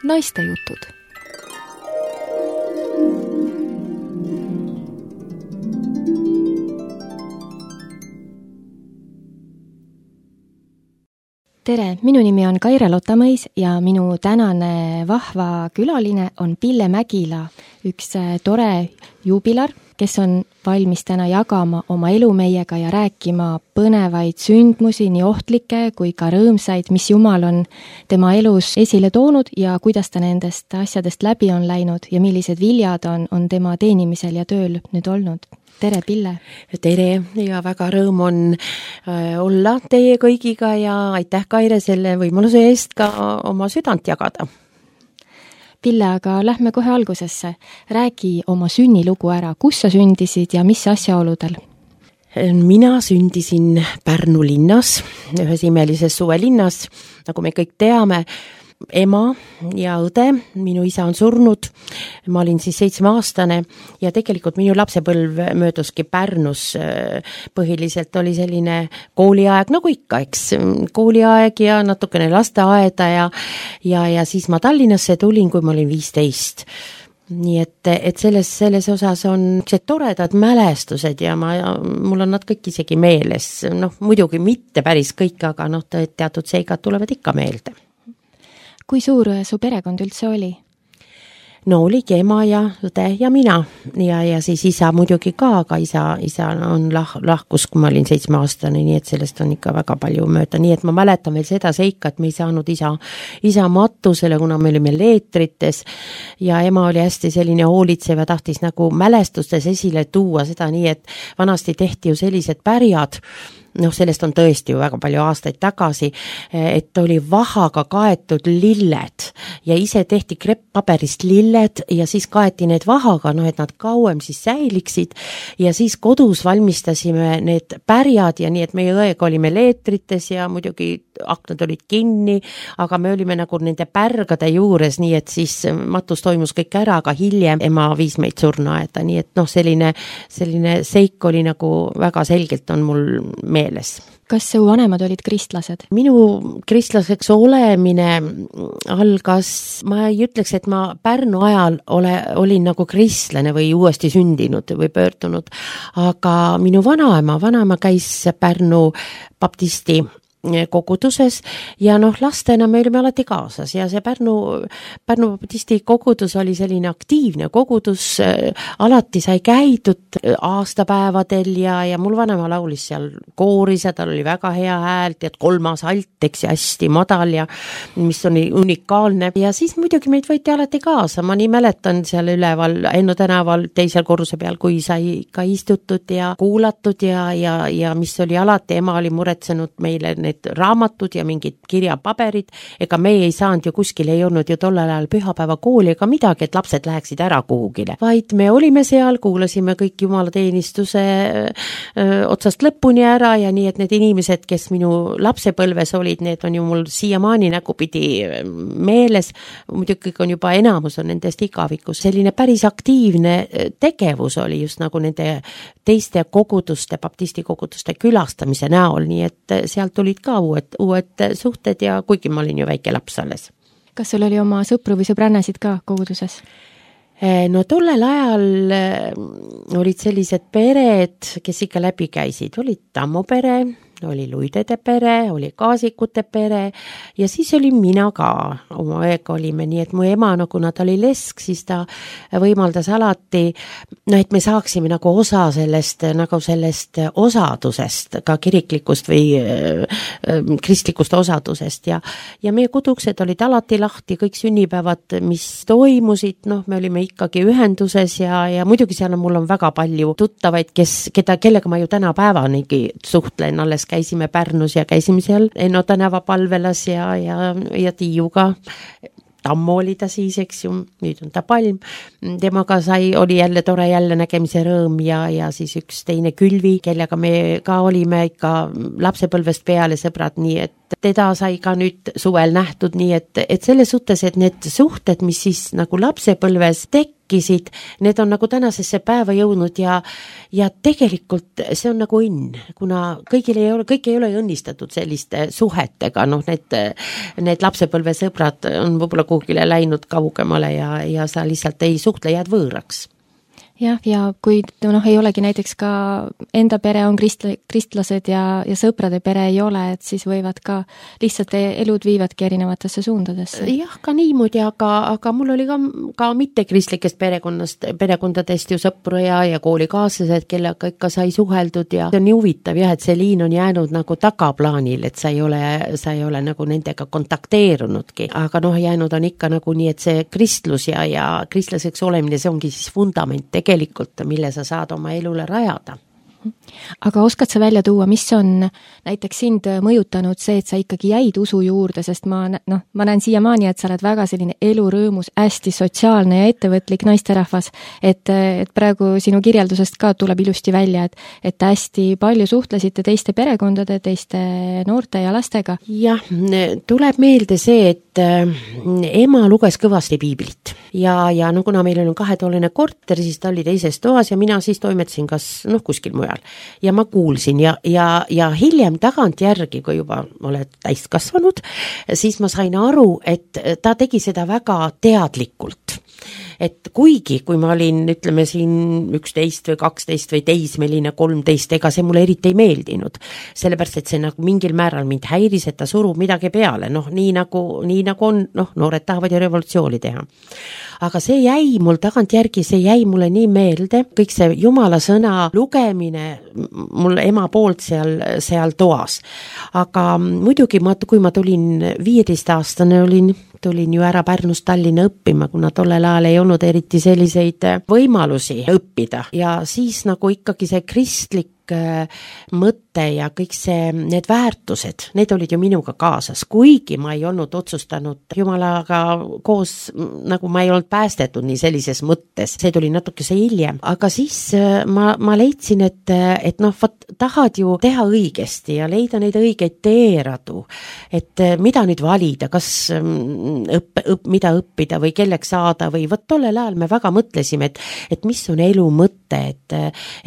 Naistejutud. Tere, minu nimi on Kaire Lotamõis ja minu tänane vahva külaline on Pille Mägila, üks tore juubilar, kes on valmis täna jagama oma elu meiega ja rääkima põnevaid sündmusi, nii ohtlikke kui ka rõõmsaid, mis Jumal on tema elus esile toonud ja kuidas ta nendest asjadest läbi on läinud ja millised viljad on tema teenimisel ja tööl nüüd olnud. Tere, Pille! Tere ja väga rõõm on olla teie kõigiga ja aitäh, Kaire, selle võimaluse eest ka oma südant jagada. Pille, aga lähme kohe algusesse. Räägi oma sünnilugu ära. Kus sa sündisid ja mis asjaoludel? Mina sündisin Pärnu linnas, ühes imelises suvelinnas, nagu me kõik teame. Ema ja õde, minu isa on surnud, ma olin siis 7-aastane ja tegelikult minu lapsepõlv mööduski Pärnus. Põhiliselt oli selline kooliaeg, nagu ikka, eks, kooliaeg ja natukene lasteaeda ja siis ma Tallinnasse tulin, kui ma olin 15. Nii et selles osas on toredad mälestused ja mul on nad kõik isegi meeles. Muidugi mitte päris kõik, aga teatud seigad tulevad ikka meelde. Kui suur su perekond üldse oli? Oligi ema ja õde ja mina ja siis isa muidugi ka, aga isa on lahkus, kui ma olin 7-aastane, nii et sellest on ikka väga palju mööda. Nii et ma mäletan veel seda seika, et me ei saanud isa matusele, kuna me olime leetrites ja ema oli hästi selline hoolitsev ja tahtis nagu mälestustes esile tuua seda nii, et vanasti tehti ju sellised pärjad, sellest on tõesti ju väga palju aastaid tagasi, et oli vahaga kaetud lilled ja ise tehti krepppaberist lilled ja siis kaeti need vahaga, et nad kauem siis säiliksid ja siis kodus valmistasime need pärjad ja nii, et meie õega olime leetrites ja muidugi aknad olid kinni, aga me olime nagu nende pärgade juures, nii et siis matus toimus kõik ära, aga hiljem ema viis meid surnuaeda, nii et selline seik oli nagu väga selgelt on mul meeles. Kas su vanemad olid kristlased? Minu kristlaseks olemine algas, ma ei ütleks, et ma Pärnu ajal olin nagu kristlane või uuesti sündinud või pöördunud, aga minu vanaema käis Pärnu baptisti koguduses ja lastena me olime alati kaasas ja see Pärnu baptisti kogudus oli selline aktiivne kogudus, alati sai käidud aastapäevadel ja mul vanema laulis seal kooris ja tal oli väga hea häält ja 3. alt, eks ja hästi madal ja mis oli unikaalne ja siis muidugi meid võeti alati kaasa, ma nii mäletan seal üleval Enno tänaval 2. korruse peal, kui sai ka istutud ja kuulatud ja mis oli alati, ema oli muretsenud meile need raamatud ja mingid kirjapaberid, ega meie ei saanud ju kuskil, ei olnud ju tollel ajal pühapäeva kooli ega midagi, et lapsed läheksid ära kuhugile, vaid me olime seal, kuulasime kõik jumalateenistuse otsast lõpuni ära ja nii, et need inimesed, kes minu lapsepõlves olid, need on ju mul siiamaani nägupidi meeles, muidugi on juba enamus on nendest igavikus, selline päris aktiivne tegevus oli just nagu nende teiste koguduste, baptisti koguduste külastamise näol, nii et sealt tulid ka uued suhted ja kuigi ma olin ju väike laps alles. Kas sul oli oma sõpru või sõbrannasid ka koguduses? Tollel ajal olid sellised pered, kes ikka läbi käisid, olid Tammo pere, oli Luidede pere, oli Kaasikute pere ja siis oli mina ka, oma õega olime, nii et mu ema, kuna ta oli lesk, siis ta võimaldas alati, et me saaksime nagu osa sellest osadusest, ka kiriklikust või kristlikust osadusest ja meie koduksed olid alati lahti, kõik sünnipäevad, mis toimusid, me olime ikkagi ühenduses ja muidugi seal mul on väga palju tuttavaid, kellega ma ju tänapäevanigi suhtlen, alles käisime Pärnus ja käisime seal Enno tänava palvelas ja Tiiuga. Tammo oli ta siis, eks ju, nüüd on ta Palm. Temaga oli jälle tore jälle nägemise rõõm ja siis üks teine Külvi, kellega me ka olime ikka lapsepõlvest peale sõbrad, nii et teda sai ka nüüd suvel nähtud, nii et selles suhtes, et need suhted, mis siis nagu lapsepõlves tekkisid, need on nagu tänasesse päeva jõudnud ja tegelikult see on nagu õnn, kuna kõik ei ole õnnistatud selliste suhetega, noh need lapsepõlvesõbrad on võib-olla kuhugile läinud kaugemale ja sa lihtsalt ei suhtle, jääd võõraks. Jah, ja kui ei olegi näiteks ka enda pere on kristlased ja sõprade pere ei ole, et siis võivad ka lihtsalt elud viivadki erinevatesse suundadesse. Jah, ka niimoodi, aga mul oli ka mittekristlikest perekondadest ju sõpru ja koolikaaslased, kellega ikka sai suheldud ja see on nii huvitav jah, et see liin on jäänud nagu tagaplaanil, et sa ei ole nagu nendega kontakteerunudki, aga jäänud on ikka nagu nii, et see kristlus ja kristlaseks olemine, see ongi siis fundament tegelikult, mille sa saad oma elule rajada. Aga oskad sa välja tuua, mis on näiteks sind mõjutanud see, et sa ikkagi jäid usu juurde, sest ma näen siiamaani, et sa oled väga selline elurõõmus, hästi sotsiaalne ja ettevõtlik naisterahvas, et praegu sinu kirjeldusest ka tuleb ilusti välja, et hästi palju suhtlesite teiste perekondade, teiste noorte ja lastega. Jah, tuleb meelde see, et ema luges kõvasti piiblit ja kuna meil on 2-toaline korter, siis ta oli teises toas ja mina siis toimetasin kas kuskil mujal. Ja ma kuulsin ja hiljem tagantjärgi, kui juba oled täiskasvanud, siis ma sain aru, et ta tegi seda väga teadlikult. Et kuigi, kui ma olin, ütleme siin 11 või 12 või teismeline 13, ega see mulle eriti ei meeldinud. Sellepärast, et see nagu mingil määral mind häiris, et ta surub midagi peale. Nii nagu on, noored tahavad ju revolutsiooni teha. Aga see jäi mul tagantjärgi, see jäi mulle nii meelde, kõik see Jumala sõna lugemine mul ema poolt seal toas. Aga muidugi, kui ma tulin 15-aastane, tulin ju ära Pärnust Tallinna õppima, kuna tollel ajal ei olnud eriti selliseid võimalusi õppida ja siis nagu ikkagi see kristlik mõte ja kõik need väärtused, need olid ju minuga kaasas, kuigi ma ei olnud otsustanud Jumalaga koos, nagu ma ei olnud päästetud nii sellises mõttes, see tuli natukese hiljem, aga siis ma leidsin, et tahad ju teha õigesti ja leida neid õigeid teeradu, et mida nüüd valida, kas mida õppida või kelleks saada või tollel ajal me väga mõtlesime, et mis on elu mõte,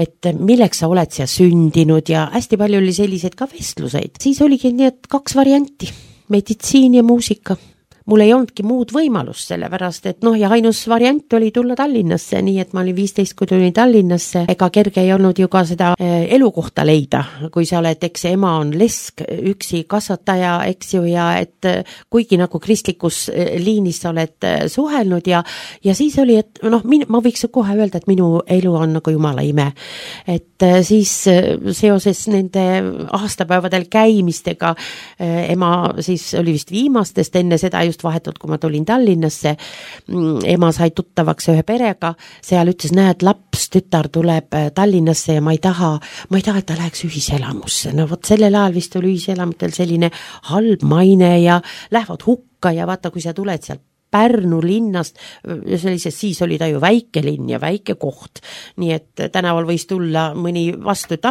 et milleks sa oled siia sündinud ja hästi palju oli selliseid ka vestluseid. Siis oligi nii, et 2 varianti, meditsiin ja muusika. Mul ei olnudki muud võimalust sellepärast, et ja ainus variant oli tulla Tallinnasse, nii et ma olin 15, kui tulin Tallinnasse. Ega kerge ei olnud ju ka seda elukohta leida, kui sa oled, eks ema on lesk, üksi kasvataja, eks ju, ja et kuigi nagu kristlikus liinis sa oled suhelnud ja siis oli, et ma võiks kohe öelda, et minu elu on nagu Jumala ime. Et siis seoses nende aastapäevadel käimistega ema siis oli vist viimastest enne seda just vahetult, kui ma tulin Tallinnasse, ema sai tuttavaks ühe perega, seal ütles, näed, laps, tütar tuleb Tallinnasse ja ma ei taha, et ta läheks ühiselamusse. Sellel ajal vist oli ühiselamutel selline halb maine ja lähevad hukka ja vaata, kui sa tuled sealt Pärnu linnast, siis oli ta ju väike linn ja väike koht, nii et tänaval võis tulla mõni vastu, et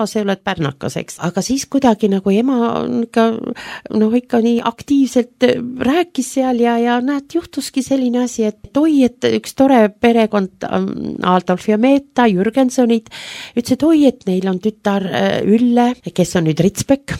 see oled pärnakas, eks. Aga siis kuidagi nagu ema ikka nii aktiivselt rääkis seal ja näed, juhtuski selline asi, et üks tore perekond, Adolf ja Meeta, Jürgensonid, ütles, et neil on tütar Ülle, kes on nüüd Ritsbek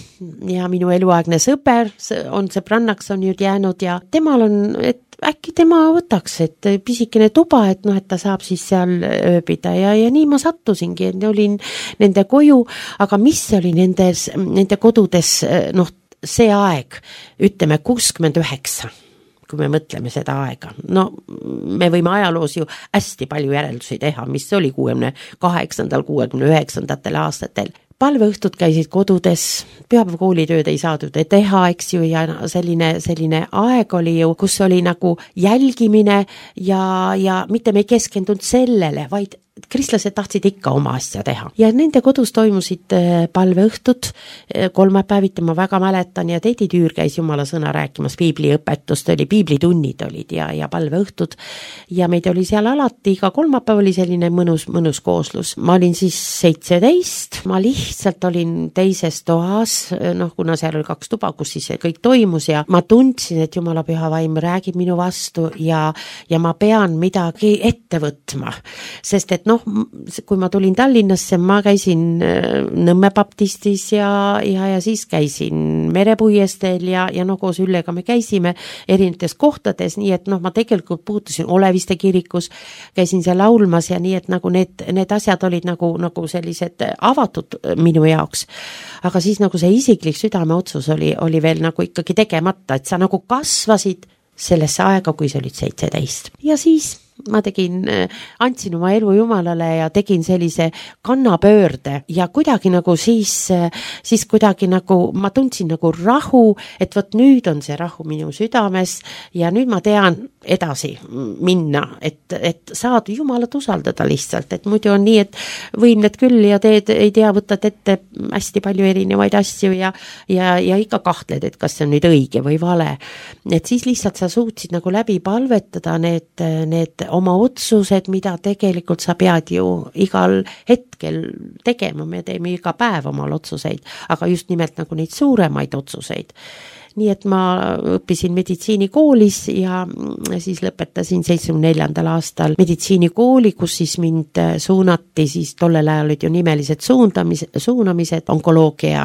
ja minu eluaegne sõber, on sõbrannaks on nüüd jäänud ja temal on, et äkki tema võtaks, et pisikene tuba, et ta saab siis seal ööbida ja nii ma sattusingi, et olin nende koju, aga mis oli nende kodudes, see aeg, ütleme 69, kui me mõtleme seda aega. Me võime ajaloos ju hästi palju järeldusi teha, mis oli 68., 69. aastatel. Palveõhtud käisid kodudes, pühapäeva koolitööd ei saadud teha, eks ju, ja selline aeg oli ju, kus oli nagu jälgimine ja mitte me ei keskendunud sellele, vaid kristlased tahtsid ikka oma asja teha ja nende kodus toimusid palveõhtud, kolmapäeviti ma väga mäletan ja Teidi Tüür käis jumala sõna rääkimas, piibliõpetust oli, piiblitunnid olid ja palveõhtud ja meid oli seal alati, iga kolmapäev oli selline mõnus kooslus. Ma olin siis 17, ma lihtsalt olin teises toas, kuna seal oli 2 tuba, kus siis kõik toimus ja ma tundsin, et jumala püha vaim räägib minu vastu ja ma pean midagi ette võtma, sest et kui ma tulin Tallinnasse, ma käisin Nõmme baptistis ja siis käisin Merepuiesteel ja koos Üllega me käisime erinevates kohtades, nii et ma tegelikult puutusin Oleviste kirikus, käisin seal laulmas ja nii, et nagu need asjad olid nagu sellised avatud minu jaoks. Aga siis nagu see isiklik südameotsus oli veel nagu ikkagi tegemata, et sa nagu kasvasid sellesse aega, kui sa olid 17. Ja siis ma andsin oma elu Jumalale ja tegin sellise kannapöörde ja kuidagi nagu siis kuidagi nagu ma tundsin nagu rahu, et vot nüüd on see rahu minu südames ja nüüd ma tean edasi minna, et saad Jumalat usaldada lihtsalt, et muidu on nii, et võimled küll ja teed, ei tea, võtad ette hästi palju erinevaid asju ja ikka kahtled, et kas see on nüüd õige või vale. Et siis lihtsalt sa suutsid nagu läbi palvetada need oma otsused, mida tegelikult sa pead ju igal hetkel tegema, me teeme iga päev omal otsuseid, aga just nimelt nagu neid suuremaid otsuseid. Nii et ma õppisin meditsiinikoolis ja siis lõpetasin 74. aastal meditsiinikooli, kus siis mind suunati, siis tollel ajal olid ju nimelised suunamised onkoloogia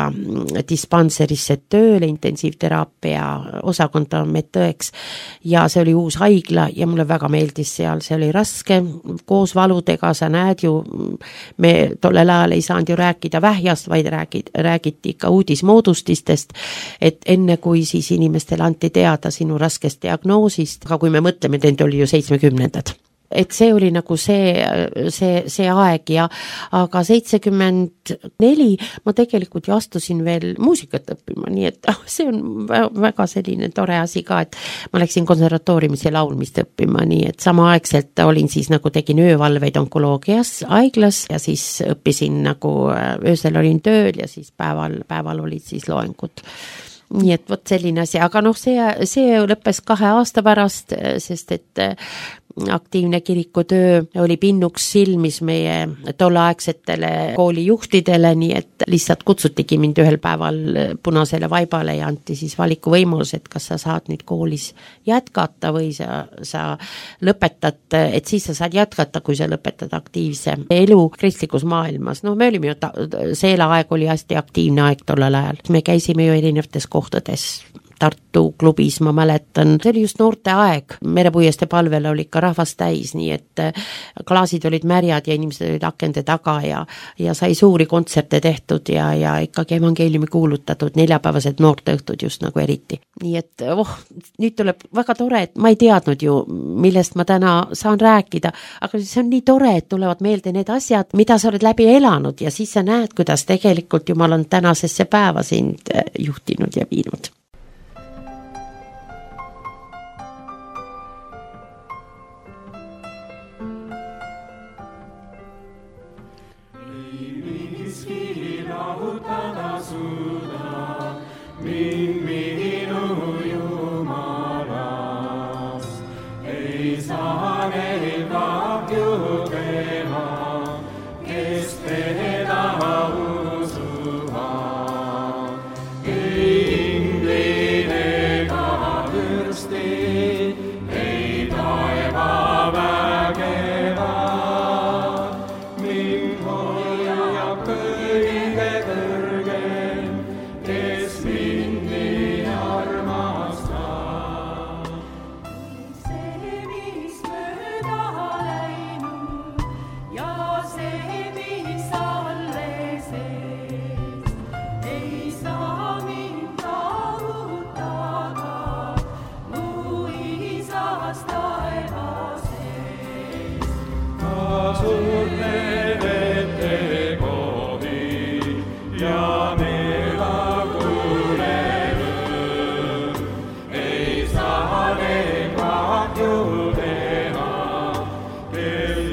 dispanserisse tööle, intensiivteraapia osakonda medõeks ja see oli uus haigla ja mulle väga meeldis seal, see oli raske, koos valudega, sa näed ju, me tollel ajal ei saanud ju rääkida vähjast, vaid räägiti ikka uudismoodustistest, et enne kui siis inimestele anti teada sinu raskest diagnoosist, aga kui me mõtleme, et oli ju 70-ndad. Et see oli nagu see aeg aga 74 ma tegelikult ju astusin veel muusikat õppima, nii et see on väga selline tore asi ka, et ma läksin konservatooriumis ja laulmist õppima, nii et samaaegselt olin siis nagu tegin öövalveid onkoloogias haiglas ja siis õppisin nagu öösel olin tööl ja siis päeval olid siis loengud. Nii et vot selline asi, aga see lõppes 2 aasta pärast, sest et aktiivne kirikutöö oli pinnuks silmis meie tolleaegsetele koolijuhtidele, nii et lihtsalt kutsutigi mind ühel päeval punasele vaibale ja anti siis valikuvõimalus, et kas sa saad nüüd koolis jätkata või sa lõpetad, et siis sa saad jätkata, kui sa lõpetad aktiivse elu kristlikus maailmas. Me olime ju, seela aeg oli hästi aktiivne aeg tollel ajal. Me käisime ju erinevates kohtades, Tartu klubis, ma mäletan, see oli just noorte aeg, Merepuieste palvel oli ikka rahvast täis, nii et klaasid olid märjad ja inimesed olid akende taga ja sai suuri kontserte tehtud ja ikkagi evangeeliumi kuulutatud, neljapäevased noorteõhtud just nagu eriti. Nii et nüüd tuleb väga tore, et ma ei teadnud ju, millest ma täna saan rääkida, aga see on nii tore, et tulevad meelde need asjad, mida sa oled läbi elanud ja siis sa näed, kuidas tegelikult Jumal on tänasesse päeva sind juhtinud ja viinud.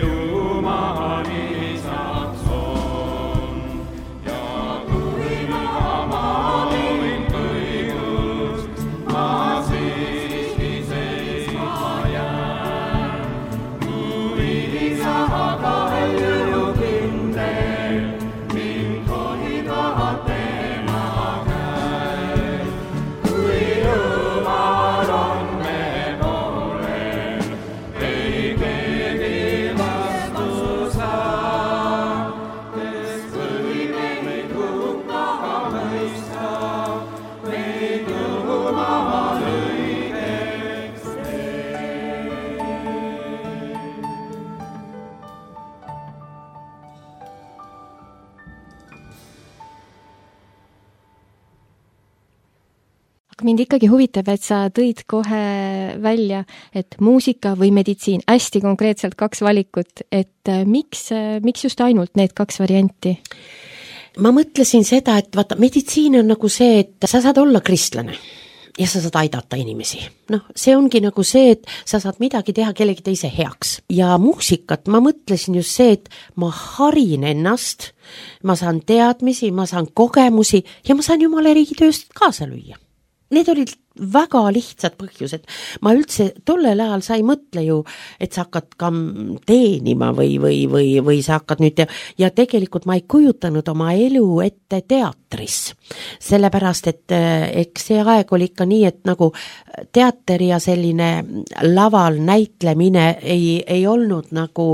Jumalani Aga mind ikkagi huvitab, et sa tõid kohe välja, et muusika või meditsiin, hästi konkreetselt 2 valikut, et miks just ainult need 2 varianti? Ma mõtlesin seda, et vaata, meditsiin on nagu see, et sa saad olla kristlane ja sa saad aidata inimesi. Noh, see ongi nagu see, et sa saad midagi teha kellegi teise heaks. Ja muusikat ma mõtlesin just see, et ma harin ennast, ma saan teadmisi, ma saan kogemusi ja ma saan Jumala riigi tööst kaasa lüüa. Need olid väga lihtsad põhjused. Ma üldse tollel ajal sa ei mõtle ju, et sa hakkad ka teenima või sa hakkad nüüd ja tegelikult ma ei kujutanud oma elu ette teatris. Sellepärast, et eks see aeg oli ikka nii, et nagu teater ja selline laval näitlemine ei olnud nagu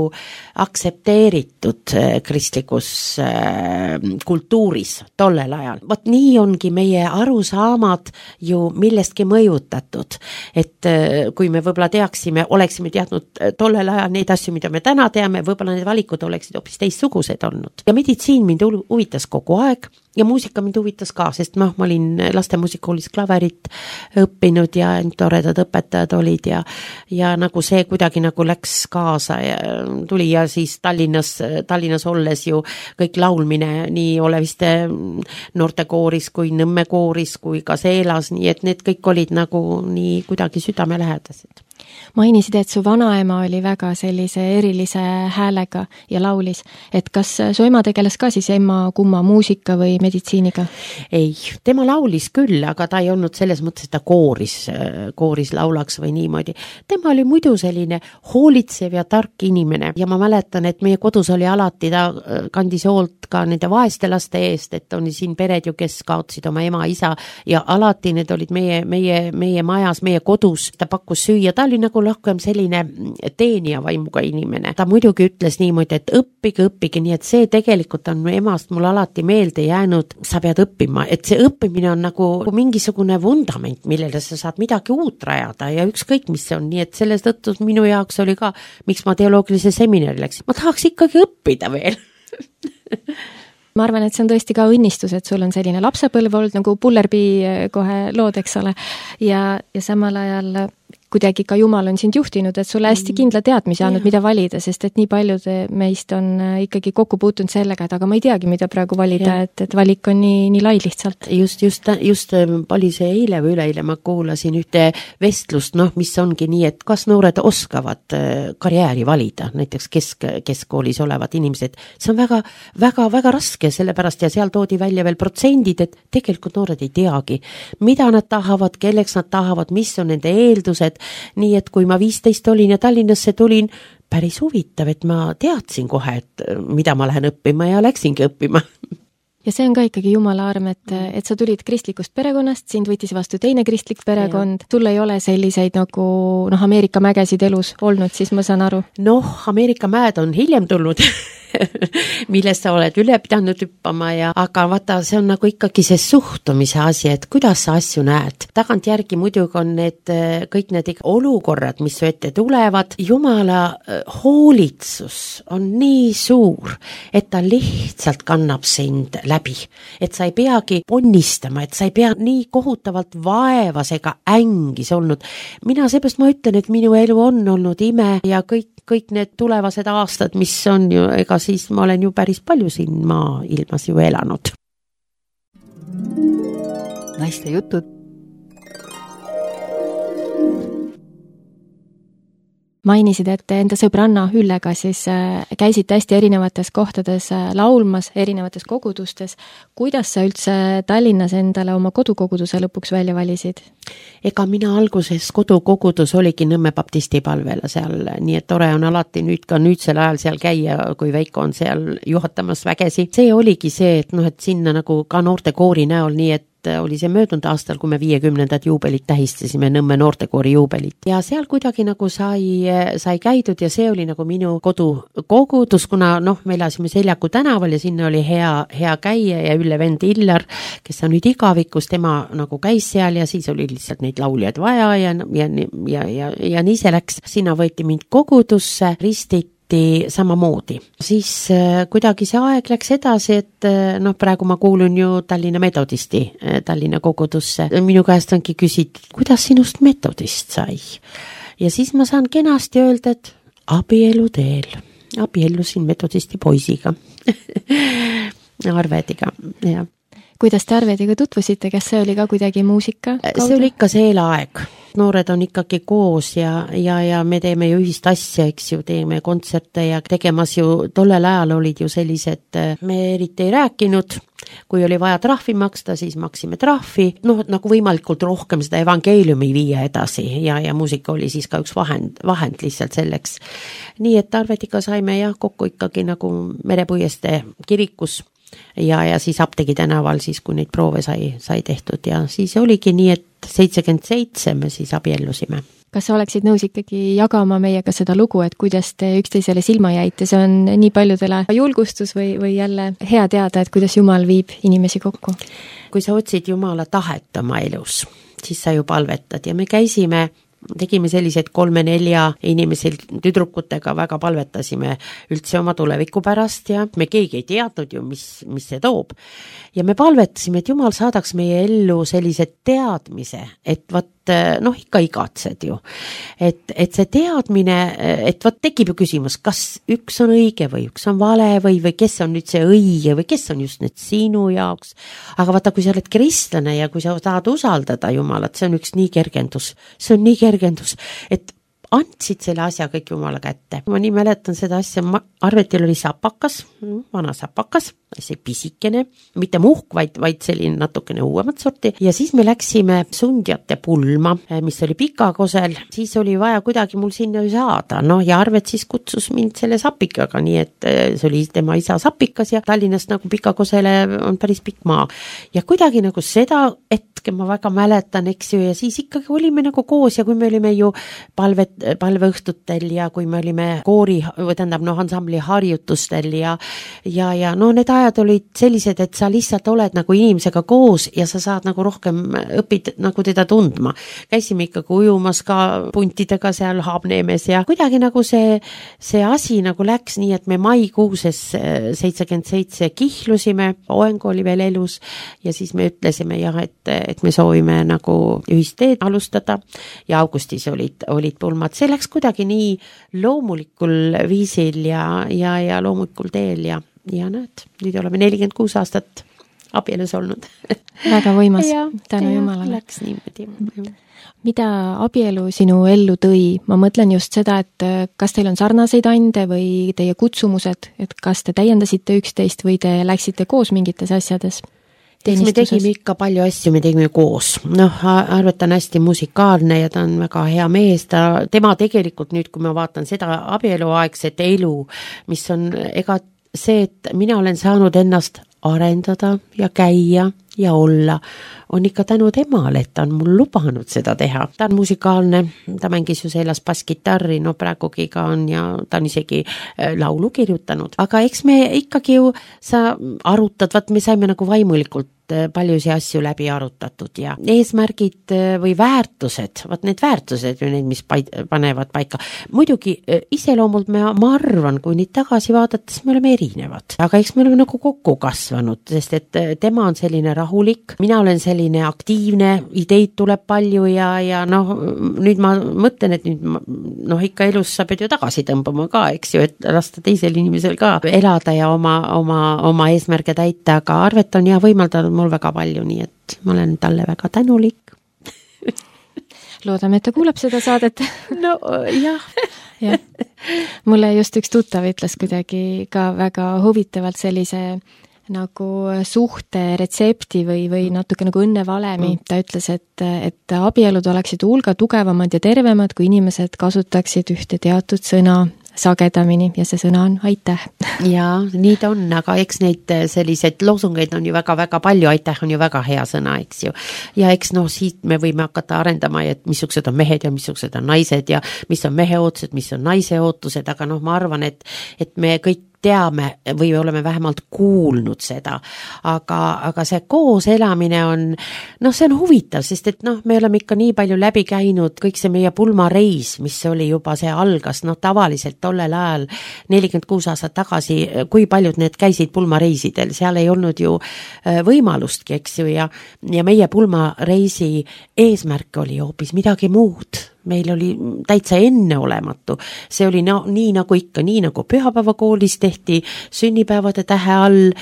aktsepteeritud kristlikus kultuuris tollel ajal. Vot nii ongi meie arusaamad ju millestki mõjutatud, et kui me võib-olla oleksime teadnud tollel ajal neid asju, mida me täna teame, võib-olla need valikud oleksid hoopis teistsugused olnud. Ja meditsiin mind huvitas kogu aeg ja muusika mind huvitas ka, sest ma olin lastemuusikoolis klaverit õppinud ja toredad õpetajad olid ja nagu see kuidagi nagu läks kaasa ja tuli ja siis Tallinnas olles ju kõik laulmine nii Oleviste noortekooris kui Nõmme kooris kui ka Seelas, nii et need kõik olid nagu nii kuidagi südamelähedased. Mainisid, et su vanaema oli väga sellise erilise häälega ja laulis, et kas su ema tegeles ka siis kumma muusika või meditsiiniga? Ei, tema laulis küll, aga ta ei olnud selles mõttes, et ta kooris laulaks või niimoodi. Tema oli muidu selline hoolitsev ja tark inimene ja ma mäletan, et meie kodus oli alati, ta kandis hoolt ka nende vaeste laste eest, et on siin pered ju, kes kaotsid oma ema, isa ja alati need olid meie majas, meie kodus, ta pakkus süüa, ta oli nagu rohkem selline teenija vaimuga inimene. Ta muidugi ütles niimoodi, et õppige, nii et see tegelikult on emast mul alati meelde jäänud, sa pead õppima, et see õppimine on nagu mingisugune vundament, millele sa saad midagi uut rajada ja ükskõik mis see on, nii et selles tõttu minu jaoks oli ka, miks ma teoloogilise seminari läksin, ma tahaks ikkagi õppida veel. Ma arvan, et see on tõesti ka õnnistus, et sul on selline lapsepõlv olnud nagu Pullerbii kohe lood, eks ole, ja samal ajal kuidagi ka Jumal on sind juhtinud, et sulle hästi kindla teadmise andnud, mida valida, sest et nii paljud meist on ikkagi kokku puutunud sellega, et aga ma ei teagi, mida praegu valida, et valik on nii lai lihtsalt. Just oli see eile või üleeile ma kuulasin ühte vestlust, mis ongi nii, et kas noored oskavad karjääri valida, näiteks keskkoolis olevad inimesed. See on väga raske, sellepärast ja seal toodi välja veel protsendid, et tegelikult noored ei teagi, mida nad tahavad, kelleks nad tahavad, mis on nende eeldused. Nii et kui ma 15 olin ja Tallinnasse tulin, päris huvitav, et ma teadsin kohe, et mida ma lähen õppima ja läksingi õppima. Ja see on ka ikkagi Jumala arm, et sa tulid kristlikust perekonnast, sind võttis vastu teine kristlik perekond, sul ei ole selliseid nagu Ameerika mägesid elus olnud, siis ma saan aru. Ameerika mäed on hiljem tulnud, millest sa oled üle pidanud hüppama aga vaata, see on nagu ikkagi see suhtumise asi, et kuidas sa asju näed. Tagantjärgi muidugi on kõik need olukorrad, mis su ette tulevad. Jumala hoolitsus on nii suur, et ta lihtsalt kannab sind läbi. Et sa ei peagi ponnistama, et sa ei pea nii kohutavalt vaevas ega ängis olnud. Mina seepärast ma ütlen, et minu elu on olnud ime ja kõik need tulevased aastad, mis on ju, ega siis ma olen ju päris palju siin maailmas ju elanud. Naiste jutud. Mainisid, et enda sõbranna Üllega siis käisid hästi erinevates kohtades laulmas, erinevates kogudustes. Kuidas sa üldse Tallinnas endale oma kodukoguduse lõpuks välja valisid? Ega mina alguses kodukogudus oligi Nõmme baptisti palvele seal, nii et tore on alati nüüdsel ajal seal käia, kui Veiko on seal juhatamas vägesi. See oligi see, et sinna nagu ka noortekoori näol, nii et oli see möödunud aastal, kui me 50. juubelit tähistasime, Nõmme noortekoori juubelit. Ja seal kuidagi nagu sai käidud ja see oli nagu minu kodukogudus, kuna me elasime Seljaku tänaval ja sinna oli hea käia ja Ülle vend Illar, kes on nüüd igavikus, tema nagu käis seal ja siis oli lihtsalt neid lauljaid vaja ja nii see läks. Sinna võeti mind kogudusse, ristiti samamoodi. Siis kuidagi see aeg läks edasi, et noh, praegu ma kuulun ju Tallinna Metodisti Tallinna kogudusse. Minu käest ongi küsitud, kuidas sinust metodist sai? Ja siis ma saan kenasti öelda, et abielu teel. Abiellusin metodisti poisiga. Arvediga, jah. Kuidas te Arvediga tutvusite, kas see oli ka kuidagi muusika kaudu? See oli ikka see eelaeg. Noored on ikkagi koos ja me teeme ju ühist asja, eks ju, teeme kontserte ja tegemas ju, tollel ajal olid ju sellised, me eriti ei rääkinud, kui oli vaja trahvi maksta, siis maksime trahvi, noh, nagu võimalikult rohkem seda evangeeliumi viia edasi ja muusika oli siis ka üks vahend lihtsalt selleks. Nii et Arvediga saime jah kokku ikkagi nagu Merepuiestee kirikus ja siis Apteegi tänaval siis, kui neid proove sai tehtud ja siis oligi nii, et 77 me siis abiellusime. Kas sa oleksid nõus ikkagi jagama meiega seda lugu, et kuidas te üksteisele silma jäite? See on nii paljudele julgustus või jälle hea teada, et kuidas Jumal viib inimesi kokku? Kui sa otsid Jumala tahet oma elus, siis sa ju palvetad ja me tegime sellised 3-4 inimesel tüdrukutega, väga palvetasime üldse oma tuleviku pärast ja me keegi ei teadnud ju, mis see toob. Ja me palvetasime, et Jumal saadaks meie ellu sellise teadmise, et noh, ikka igatsed ju. Et see teadmine, et tekib ju küsimus, kas üks on õige või üks on vale või kes on nüüd see õige või kes on just nüüd sinu jaoks. Aga vaata, kui sa oled kristlane ja kui sa tahad usaldada Jumalat, see on üks nii kergendus. See on nii kergendus, et andsid selle asja kõik Jumala kätte. Ma nii mäletan seda asja, Arvetil oli sapakas, vana sapakas, see pisikene, mitte muhk, vaid selline natukene uuemat sorti. Ja siis me läksime Sundjate pulma, mis oli Pikakosel. Siis oli vaja kuidagi mul sinna saada. No ja Arvet siis kutsus mind selle sapikaga, nii et see oli tema isa sapikas ja Tallinnast nagu Pikakosele on päris pikk maa. Ja kuidagi nagu seda hetke ma väga mäletan, eks ju, ja siis ikkagi olime nagu koos ja kui me olime ju palveõhtutel ja kui me olime koori, ansambli harjutustel ja no need ajad olid sellised, et sa lihtsalt oled nagu inimesega koos ja sa saad nagu rohkem õpid nagu teda tundma. Käisime ikkagi ujumas ka puntidega seal Haabneemes ja kuidagi nagu see asi nagu läks nii, et me maikuuses 77 kihlusime, Oeng oli veel elus ja siis me ütlesime jah, et me soovime nagu ühist teed alustada ja augustis olid pulmad. See läks kuidagi nii loomulikul viisil ja loomulikul teel ja näed, nüüd oleme 46 aastat abielus olnud. Väga võimas, tänu Jumalale. Läks niimoodi. Mida abielu sinu ellu tõi? Ma mõtlen just seda, et kas teil on sarnaseid ande või teie kutsumused, et kas te täiendasite üksteist või te läksite koos mingites asjades? Me tegime ikka palju asju, me tegime koos. Noh, Arvet on hästi musikaalne ja ta on väga hea mees. Tema tegelikult nüüd, kui ma vaatan seda abieluaegset elu, mis on see, et mina olen saanud ennast arendada ja käia ja olla, on ikka tänu temale, et ta on mul lubanud seda teha. Ta on musikaalne, ta mängis ju selles basskitarri, no praegugi ka on ja ta on isegi laulu kirjutanud. Aga eks me ikkagi ju, sa arutad, me saime nagu vaimulikult paljusi asju läbi arutatud ja eesmärgid või väärtused, need väärtused ju need, mis panevad paika. Muidugi iseloomult ma arvan, kui neid tagasi vaadates me oleme erinevad, aga eks me oleme nagu kokku kasvanud, sest et tema on selline rahulik, mina olen selline aktiivne, ideid tuleb palju ja noh, nüüd ma mõtlen, et nüüd ikka elus sa pead ju tagasi tõmbama ka, eks ju, et lasta teisel inimesel ka elada ja oma eesmärge täita, aga Arvet on võimaldanud mul väga palju, nii et ma olen talle väga tänulik. Loodame, et ta kuuleb seda saadet. No jah. Ja. Mulle just üks tuttav ütles kuidagi ka väga huvitavalt sellise nagu suhte retsepti või natuke nagu õnnevalemi. Ta ütles, et abielud oleksid hulga tugevamad ja tervemad, kui inimesed kasutaksid ühte teatud sõna sagedamini ja see sõna on aitäh. Jaa, nii ta on, aga eks neid selliseid loosungeid on ju väga-väga palju, aitäh on ju väga hea sõna, eks ju. Ja eks siit me võime hakata arendama, et missugused on mehed ja missugused on naised ja mis on mehe ootused, mis on naise ootused, aga ma arvan, et me kõik teame või oleme vähemalt kuulnud seda, aga see koos elamine on, see on huvitav, sest et me oleme ikka nii palju läbi käinud, kõik see meie pulmareis, mis oli juba, see algas, tavaliselt tollel ajal 46 aastat tagasi, kui paljud need käisid pulmareisidel, seal ei olnud ju võimalustki, eks ju, ja meie pulmareisi eesmärk oli hoopis midagi muud. Meil oli täitsa enneolematu. See oli nii nagu ikka, nii nagu pühapäevakoolis tehti sünnipäevade tähe all,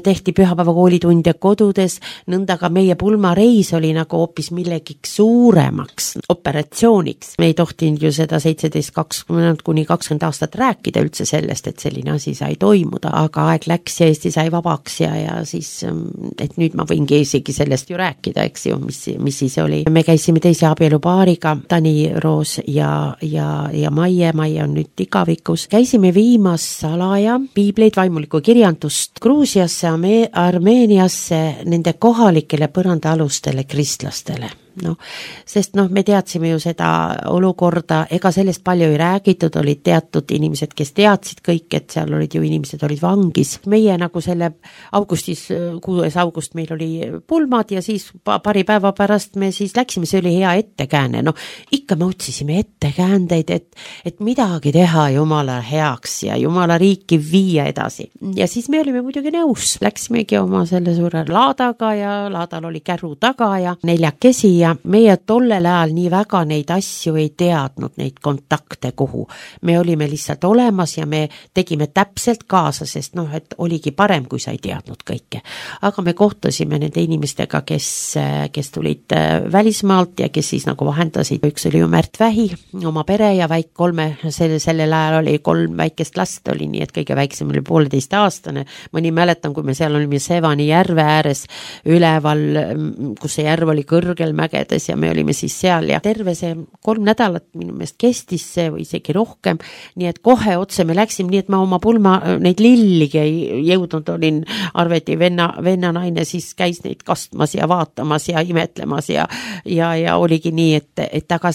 tehti pühapäevakoolitunde kodudes, nõnda ka meie pulmareis oli nagu hoopis millegiks suuremaks operatsiooniks. Me ei tohtinud ju seda 17-20 kuni 20 aastat rääkida üldse sellest, et selline asi sai toimuda, aga aeg läks ja Eesti sai vabaks ja siis, et nüüd ma võingi isegi sellest ju rääkida, eks ju, mis siis oli. Me käisime teise abielupaariga, Tani Roos ja Maie on nüüd igavikus. Käisime viimas salaja piibleid, vaimulikku kirjandust Gruusiasse, Armeeniasse, nende kohalikele põrandaalustele kristlastele. Sest me teadsime ju seda olukorda, ega sellest palju ei räägitud, olid teatud inimesed, kes teadsid kõik, et seal olid ju inimesed olid vangis. Meie nagu selle augustis, 6. august meil oli pulmad ja siis paari päeva pärast me siis läksime, see oli hea ettekääne. Ikka me otsisime ettekäändeid, et midagi teha Jumala heaks ja Jumala riiki viia edasi. Ja siis me olime muidugi nõus, läksimegi oma selle suure laadaga ja laadal oli käru taga ja neljakesi ja meie tollel ajal nii väga neid asju ei teadnud, neid kontakte kuhu. Me olime lihtsalt olemas ja me tegime täpselt kaasa, sest et oligi parem, kui sa ei teadnud kõike. Aga me kohtusime nende inimestega, kes tulid välismaalt ja kes siis nagu vahendasid. Üks oli ju Märt Vähi, oma pere ja sellel ajal oli 3 väikest last oli, nii et kõige väiksem oli 1,5-aastane. Ma nii mäletan, kui me seal olime Sevani järve ääres üleval, kus see järv oli kõrgel mägedes ja me olime siis seal ja terve see 3 nädalat minu meelest kestis see või isegi rohkem, nii et kohe otse me läksime, nii et ma oma pulma neid lilligi ei jõudnud, olin Arveti venna naine, siis käis neid kastmas ja vaatamas ja imetlemas ja oligi nii, et aga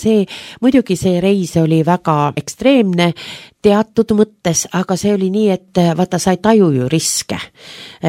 muidugi see reis oli väga ekstreemne teatud mõttes, aga see oli nii, et vaata, sa ei taju ju riske.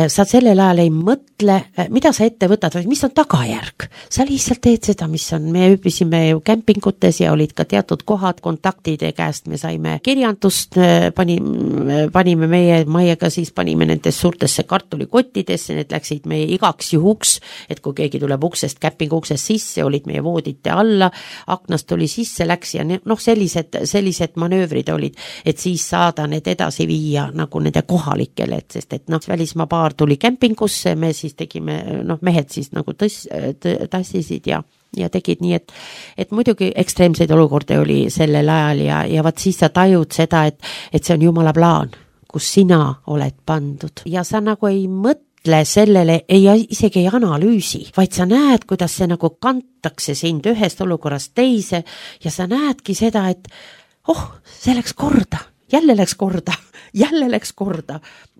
Sa sellel ajal ei mõtle, mida sa ette võtad, või mis on tagajärg. Sa lihtsalt teed seda, mis on. Me hüppisime ju kämpingutes ja olid ka teatud kohad, kontaktide käest me saime kirjandust, panime Maiega siis panime nendes suurtesse kartulikottidesse, need läksid meie igaks juhuks, et kui keegi tuleb uksest, kämpingu uksest sisse, olid meie voodite alla, aknast oli sisse, läks ja sellised manöövrid olid, et siis saada need edasi viia nagu nende kohalikele, sest välismaa paar tuli kämpingusse, me siis tegime, mehed siis nagu tassisid ja tegid nii, et muidugi ekstreemseid olukordi oli sellel ajal ja vaat siis sa tajud seda, et see on Jumala plaan, kus sina oled pandud ja sa nagu ei mõtle sellele, isegi ei analüüsi, vaid sa näed, kuidas see nagu kantakse sind ühest olukorrast teise ja sa näedki seda, et see läks korda, jälle läks korda.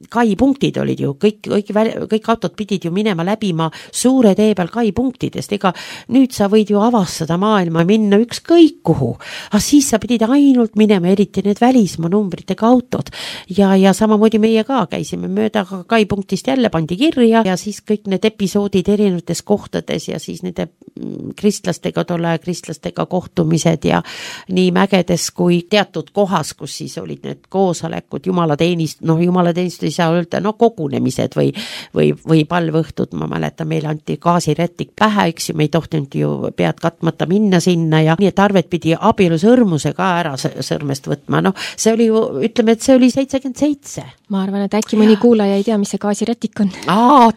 Kai-punktid olid ju, kõik autod pidid ju minema läbima suure tee peal kai-punktidest, ega nüüd sa võid ju avastada maailma, minna ükskõik kuhu, aga siis sa pidid ainult minema, eriti need välismaa numbritega autod ja samamoodi meie ka käisime mööda kai-punktist jälle pandi kirja ja siis kõik need episoodid erinevates kohtades ja siis nende kristlastega kohtumised ja nii mägedes kui teatud kohas, kus siis olid need koosolekud, jumalateenistus ei saa öelda, kogunemised või palvõhtud, ma mäletan, meile anti gaasirätik pähe, eks ju, me ei tohtinud ju pead katmata minna sinna ja nii, et Arvet pidi abielusõrmuse ka ära sõrmest võtma, see oli ju, ütleme, et see oli 77. Ma arvan, et äkki mõni kuulaja ei tea, mis see gaasirätik on.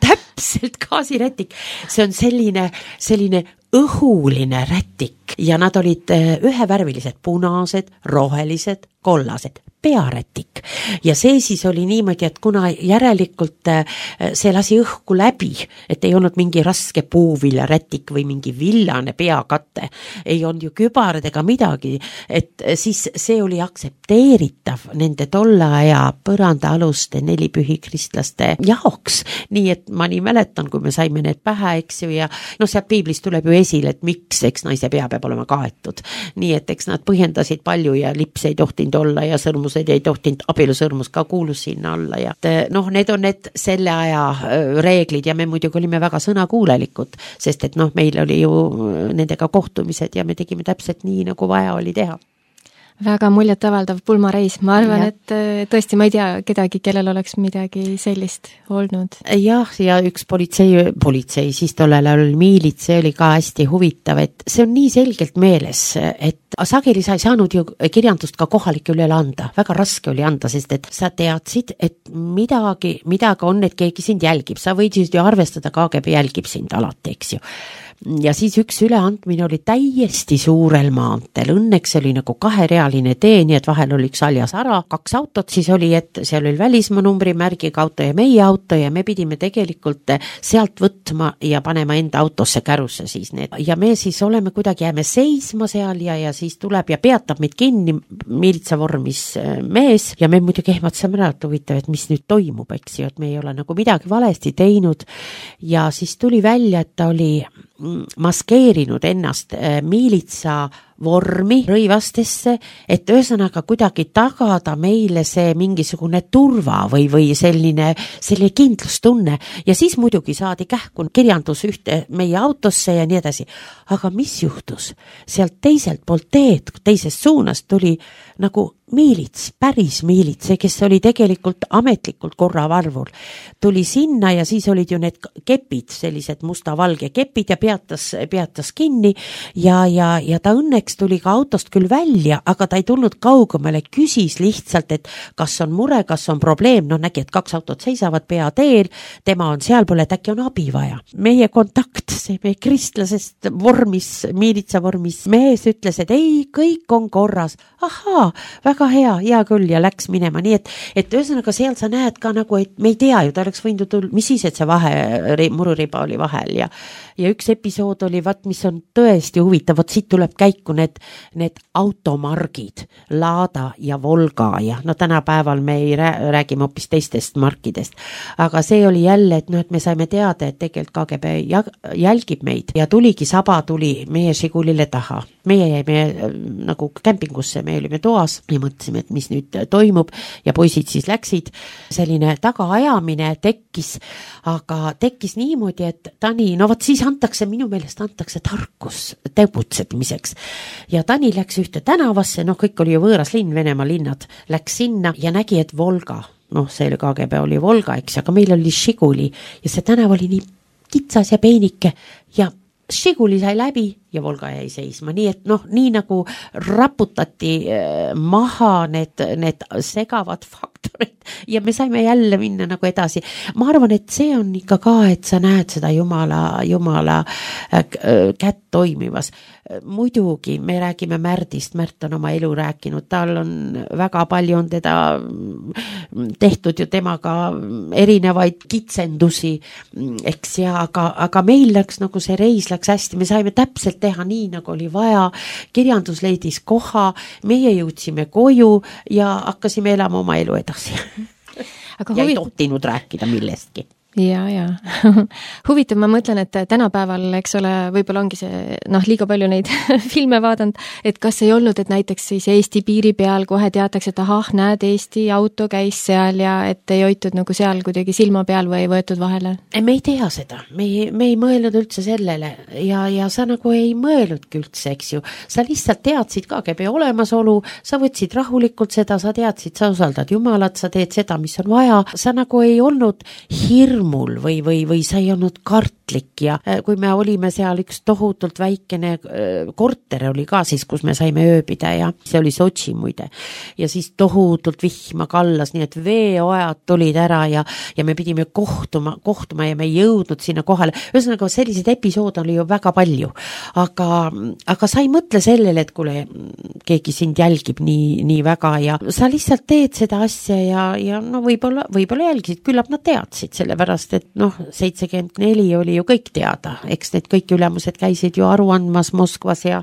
Täpselt, gaasirätik, see on selline õhuline rätik ja nad olid ühevärvilised, punased, rohelised, kollased, pearätik ja see siis oli niimoodi, et kuna järelikult see lasi õhku läbi, et ei olnud mingi raske puuviljarätik või mingi villane peakatte, ei olnud ju kübarad ega midagi, et siis see oli aktsepteeritav nende tolle aja põrandaaluste nelipühi kristlaste jaoks, nii et ma nii mäletan, kui me saime need pähe, eks ju, ja sealt piiblist tuleb ju esile, et miks, eks naise pea peab olema kaetud. Nii et eks nad põhjendasid palju ja lips ei tohtinud olla ja sõrmused ei tohtinud, abielusõrmus ka kuulus sinna alla ja noh, need on need selle aja reeglid ja me muidugi olime väga sõnakuulelikud, sest et noh, meil oli ju nendega kohtumised ja me tegime täpselt nii, nagu vaja oli teha. Väga muljetavaldav pulmareis, ma arvan, et tõesti ma ei tea kedagi, kellel oleks midagi sellist olnud. Jah, ja üks politsei, siis tollel oli miilits, see oli ka hästi huvitav, et see on nii selgelt meeles, et sageli sa ei saanud ju kirjandust ka kohalike üle anda, väga raske oli anda, sest et sa teadsid, et midagi on, et keegi sind jälgib, sa võisid ju arvestada, KGB jälgib sind alati, eks ju. Ja siis üks üleandmine oli täiesti suurel maanteel, õnneks oli nagu kaherealine tee, nii et vahel oli üks aljas ära, 2 autot siis oli, et seal oli välismaa numbrimärgiga auto ja meie auto ja me pidime tegelikult sealt võtma ja panema enda autosse kärusse siis need. Ja me siis oleme kuidagi, jääme seisma seal ja siis tuleb ja peatab meid kinni miilitsavormis mees ja me muidugi ehmatasime ära, et huvitav, et mis nüüd toimub, eks ju, et me ei ole nagu midagi valesti teinud ja siis tuli välja, et ta oli maskeerinud ennast miilitsa vormi rõivastesse, et ühesõnaga kuidagi tagada meile see mingisugune turva või selline kindlustunne ja siis muidugi saadi kähku kirjandus ühte meie autosse ja nii edasi. Aga mis juhtus? Sealt teiselt poolt teed, teisest suunast tuli nagu miilits, päris miilits, kes oli tegelikult ametlikult korravalvur. Tuli sinna ja siis olid ju need kepid, sellised musta-valge kepid ja peatas kinni ja ta õnneks tuli ka autost küll välja, aga ta ei tulnud kaugemale, küsis lihtsalt, et kas on mure, kas on probleem, no nägi, et 2 autot seisavad peateel, tema on sealpool, et äkki on abi vaja. Meie kontakt, see meie kristlasest vormis, miilitsa vormis mees ütles, et ei, kõik on korras. Ahaa, väga hea küll ja läks minema, nii et ühesõnaga seal sa näed ka nagu, et me ei tea ju, ta oleks võinud tulla, mis siis, et see mururiba oli vahel ja üks episood oli, mis on tõesti huvitav, siit tuleb käiku need automargid, Lada ja Volga ja no tänapäeval me ei räägime hoopis teistest markidest, aga see oli jälle, et et me saime teada, et tegelikult KGB jälgib meid ja Saba tuli meie Žigulile taha. Meie jäime nagu kämpingusse, me olime toas ja mõtlesime, et mis nüüd toimub ja poisid siis läksid. Selline tagaajamine tekkis, aga tekkis niimoodi, et Tani, no siis minu meelest antakse tarkus tegutsemiseks. Ja Tani läks ühte tänavasse, kõik oli ju võõras linn, Venemaa linnad, läks sinna ja nägi, et Volga, see oli KGB oli Volga, eks, aga meil oli Žiguli ja see tänav oli nii kitsas ja peenike ja Žiguli sai läbi ja Volga jäi seisma, nii et nii nagu raputati maha need segavad faktorid ja me saime jälle minna nagu edasi. Ma arvan, et see on ikka ka, et sa näed seda Jumala kätt toimivas. Muidugi me räägime Märdist, Märt on oma elu rääkinud, tal on väga palju on teda tehtud ju temaga erinevaid kitsendusi, eks ja, aga meil läks nagu see reis läks hästi, me saime täpselt teha nii, nagu oli vaja, kirjandus leidis koha, meie jõudsime koju ja hakkasime elama oma elu edasi. Aga ei tohtinud rääkida millestki. Ja. Huvitav, ma mõtlen, et tänapäeval, eks ole, võib-olla ongi see, liiga palju neid filme vaadanud, et kas ei olnud, et näiteks siis Eesti piiri peal kohe teatakse, et näed, Eesti auto käis seal ja et ei hoitud nagu seal kuidagi silma peal või ei võetud vahele? Me ei tea seda, me ei mõelnud üldse sellele ja sa nagu ei mõelnudki üldse, eks ju. Sa lihtsalt teadsid KGB olemasolu, sa võtsid rahulikult seda, sa teadsid, sa usaldad Jumalat, sa teed seda, mis on vaja, sa nagu ei olnud hirmul või sa ei olnud kartlik ja kui me olime seal üks tohutult väikene korter oli ka siis, kus me saime ööbida ja see oli Sotši muide ja siis tohutult vihma kallas, nii et veeojad tulid ära ja me pidime kohtuma ja me ei jõudnud sinna kohale. Ühesõnaga selliseid episoode oli ju väga palju, aga sa ei mõtle sellele, et kuule, keegi sind jälgib nii väga ja sa lihtsalt teed seda asja ja võib-olla jälgisid, küllap nad teadsid selle pärast, sellepärast, et 74 oli ju kõik teada, eks need kõik ülemused käisid ju aru andmas Moskvas ja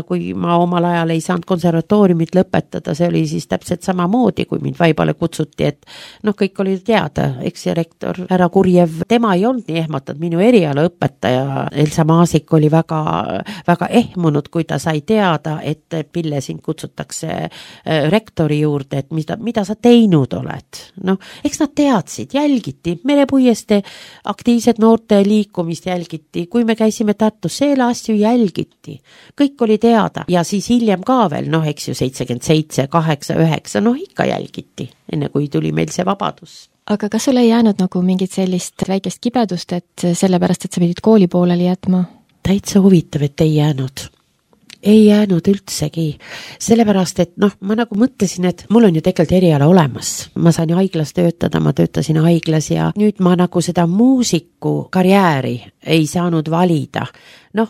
kui ma omal ajal ei saanud konservatooriumit lõpetada, see oli siis täpselt samamoodi, kui mind vaibale kutsuti, et kõik oli teada, eks ja rektor härra Kurjev, tema ei olnud nii ehmatanud, minu erialaõpetaja Elsa Maasik oli väga, väga ehmunud, kui ta sai teada, et Pille sind kutsutakse rektori juurde, et mida sa teinud oled. Eks nad teadsid, jälgiti, Merepuieste aktiivset noorte liikumist jälgiti, kui me käisime Tartus, selle asju jälgiti, kõik oli teada ja siis hiljem ka veel, eks ju 77, 8, 9, ikka jälgiti, enne kui tuli meil see vabadus. Aga kas sul ei jäänud nagu mingit sellist väikest kibedust, et sellepärast, et sa pidid kooli pooleli jätma? Täitsa huvitav, et ei jäänud. Ei jäänud üldsegi, sellepärast, et ma nagu mõtlesin, et mul on ju tegelikult eriala olemas. Ma sain haiglas töötada, ma töötasin haiglas ja nüüd ma nagu seda muusiku karjääri ei saanud valida.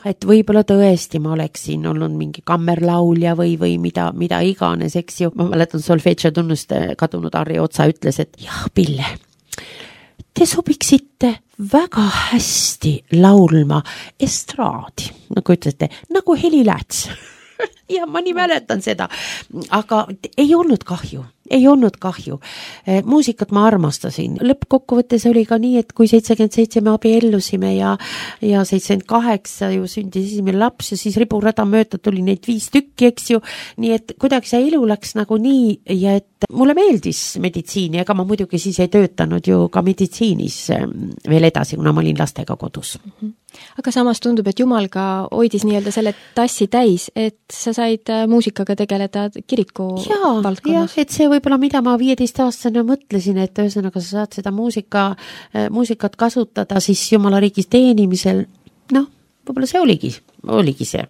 Et võib-olla tõesti ma oleksin olnud mingi kammerlaulja või mida iganes, eks ju. Ma mäletan solfeggio tunnust kadunud Harri Otsa ütles, et jah, Pille, te sobiksite väga hästi laulma estraadi, nagu ütlete, nagu Heli Lääts. Ja ma nii mäletan seda, aga ei olnud kahju. Muusikat ma armastasin. Lõppkokkuvõttes oli ka nii, et kui 77 me abiellusime ja 78 ju sündis esimene laps ja siis riburada mööda tuli neid 5 tükki, eks ju. Nii et kuidagi see elu läks nagu nii ja et mulle meeldis meditsiini, ega ma muidugi siis ei töötanud ju ka meditsiinis veel edasi, kuna ma olin lastega kodus. Aga samas tundub, et Jumal ka hoidis nii-öelda selle tassi täis, et sa said muusikaga tegeleda kiriku valdkonnas. Et see võib-olla, mida ma 15-aastane mõtlesin, et ühesõnaga sa saad seda muusikat kasutada siis Jumala riigis teenimisel, võib-olla see oligi see.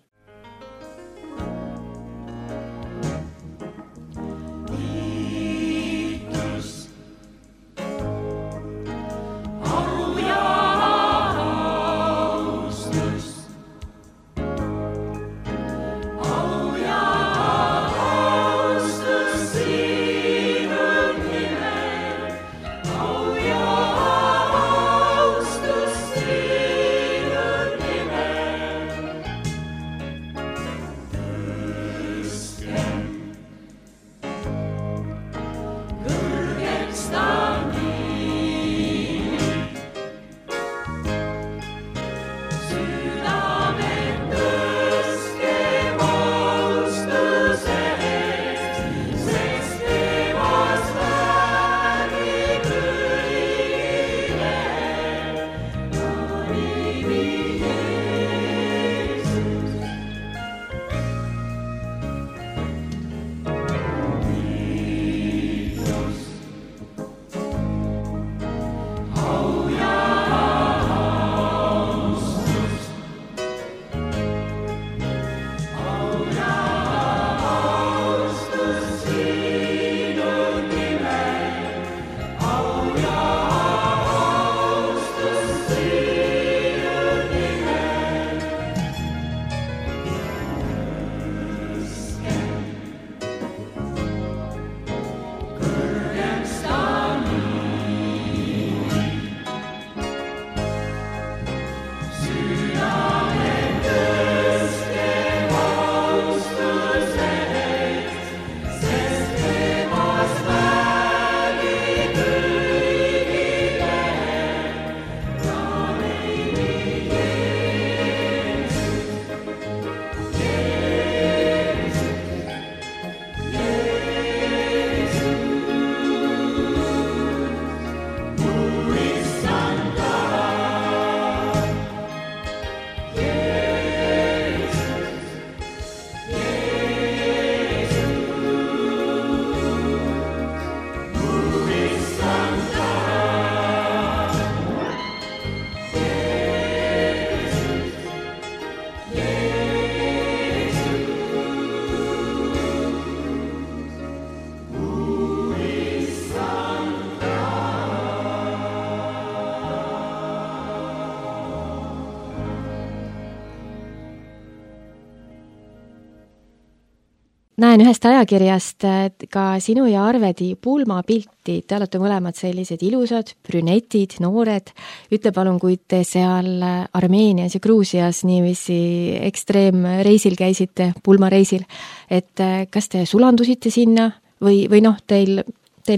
näen ühest ajakirjast ka sinu ja Arvedi pulmapilti, te olete mõlemad sellised ilusad, brünetid, noored. Ütle palun, kui te seal Armeenias ja Gruusias niiviisi ekstreemreisil käisite, pulmareisil, et kas te sulandusite sinna või noh, teil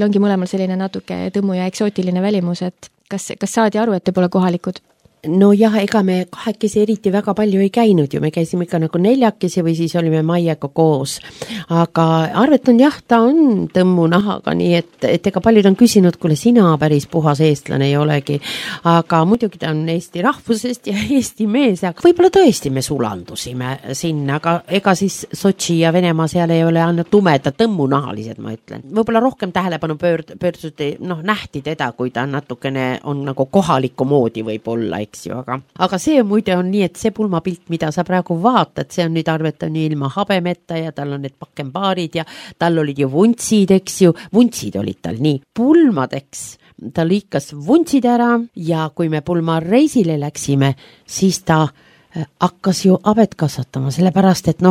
ongi mõlemal selline natuke tõmmu ja eksootiline välimus, et kas saadi aru, et te pole kohalikud? No jah, ega me kahekesi eriti väga palju ei käinud ju, me käisime ikka nagu neljakesi või siis olime Maiega koos. Aga Arvet on jah, ta on tõmmu nahaga, nii et ega paljud on küsinud, kuule sina päris puhas eestlane ei olegi. Aga muidugi ta on Eesti rahvusest ja Eesti mees, aga võib-olla tõesti me sulandusime sinna, aga ega siis Sotši ja Venemaa seal ei ole ainult tumedad tõmmunahalised, ma ütlen. Võib-olla rohkem tähelepanu pöörduti, nähti teda, kui ta natukene on nagu kohaliku moodi võib olla, eks ju, aga see muide on nii, et see pulmapilt, mida sa praegu vaatad, see on nüüd Arvet on ilma habemeta ja tal on need pakembaarid ja tal olid ju vuntsid, eks ju, vuntsid olid tal nii pulmadeks, ta lõikas vuntsid ära ja kui me pulmareisile läksime, siis ta hakkas ju abet kasvatama, sellepärast, et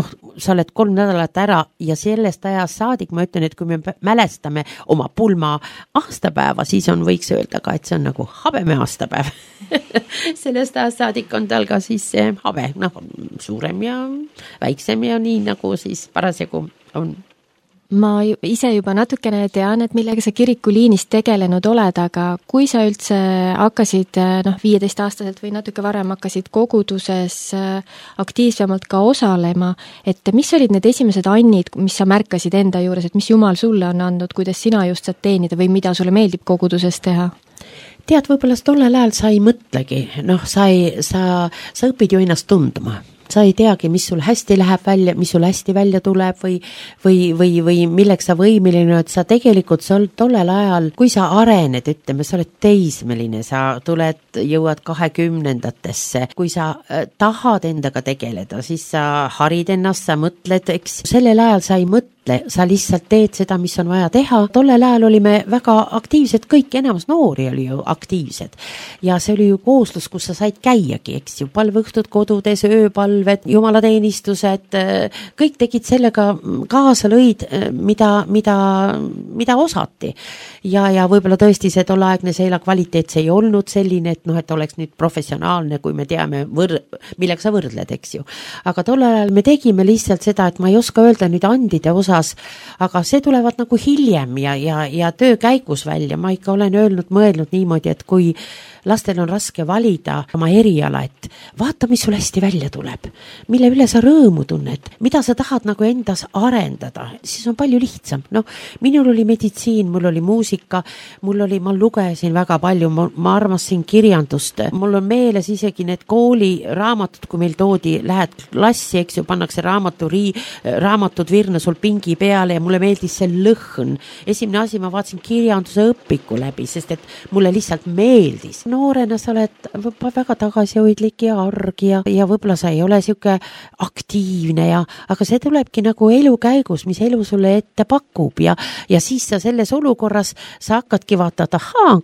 sa oled 3 nädalat ära ja sellest ajast saadik, ma ütlen, et kui me mälestame oma pulma aastapäeva, siis võiks öelda ka, et see on nagu habeme aastapäev. Sellest ajast saadik on tal ka siis see habe, suurem ja väiksem ja nii nagu siis parasjagu on. Ma ise juba natukene tean, et millega sa kirikuliinis tegelenud oled, aga kui sa üldse hakkasid 15-aastaselt või natuke varem hakkasid koguduses aktiivsemalt ka osalema, et mis olid need esimesed annid, mis sa märkasid enda juures, et mis Jumal sulle on andnud, kuidas sina just saad teenida või mida sulle meeldib koguduses teha? Tead, võib-olla tollel ajal sa ei mõtlegi, sa õpid ju ennast tundma. Sa ei teagi, mis sul hästi läheb välja, mis sul hästi välja tuleb või milleks sa võimeline, et sa tegelikult tollel ajal, kui sa arened, ütleme, sa oled teismeline, sa jõuad 20-ndatesse, kui sa tahad endaga tegeleda, siis sa harid ennast, sa mõtled, eks sellel ajal sa ei mõtle, sa lihtsalt teed seda, mis on vaja teha. Tollel ajal olime väga aktiivsed, kõik enamus noori oli ju aktiivsed ja see oli ju kooslus, kus sa said käiagi, eks ju, palveõhtud kodudes, ööpalved, jumalateenistused, kõik tegid sellega kaasa lõid, mida osati ja võib-olla tõesti see tolleaegne seila kvaliteet see ei olnud selline, et oleks nüüd professionaalne, kui me teame, millega sa võrdled, eks ju. Aga tollel ajal me tegime lihtsalt seda, et ma ei oska öelda nüüd andide osas, aga see tulevad nagu hiljem ja töö käigus välja. Ma ikka olen mõelnud niimoodi, et kui lastel on raske valida oma eriala, et vaata, mis sul hästi välja tuleb, mille üle sa rõõmu tunned, mida sa tahad nagu endas arendada, siis on palju lihtsam. Minul oli meditsiin, mul oli muusika, ma lugesin väga palju, ma armasin kirjandust, mul on meeles isegi need kooliraamatud, kui meil toodi, lähed klassi, eks ju, pannakse raamatud virna sul pingi peale ja mulle meeldis see lõhn. Esimene asi, ma vaatasin kirjanduse õpiku läbi, sest et mulle lihtsalt meeldis. Noorena sa oled väga tagasihoidlik ja arg ja võib-olla sa ei ole siuke aktiivne aga see tulebki nagu elu käigus, mis elu sulle ette pakub ja siis sa selles olukorras sa hakkadki vaatad,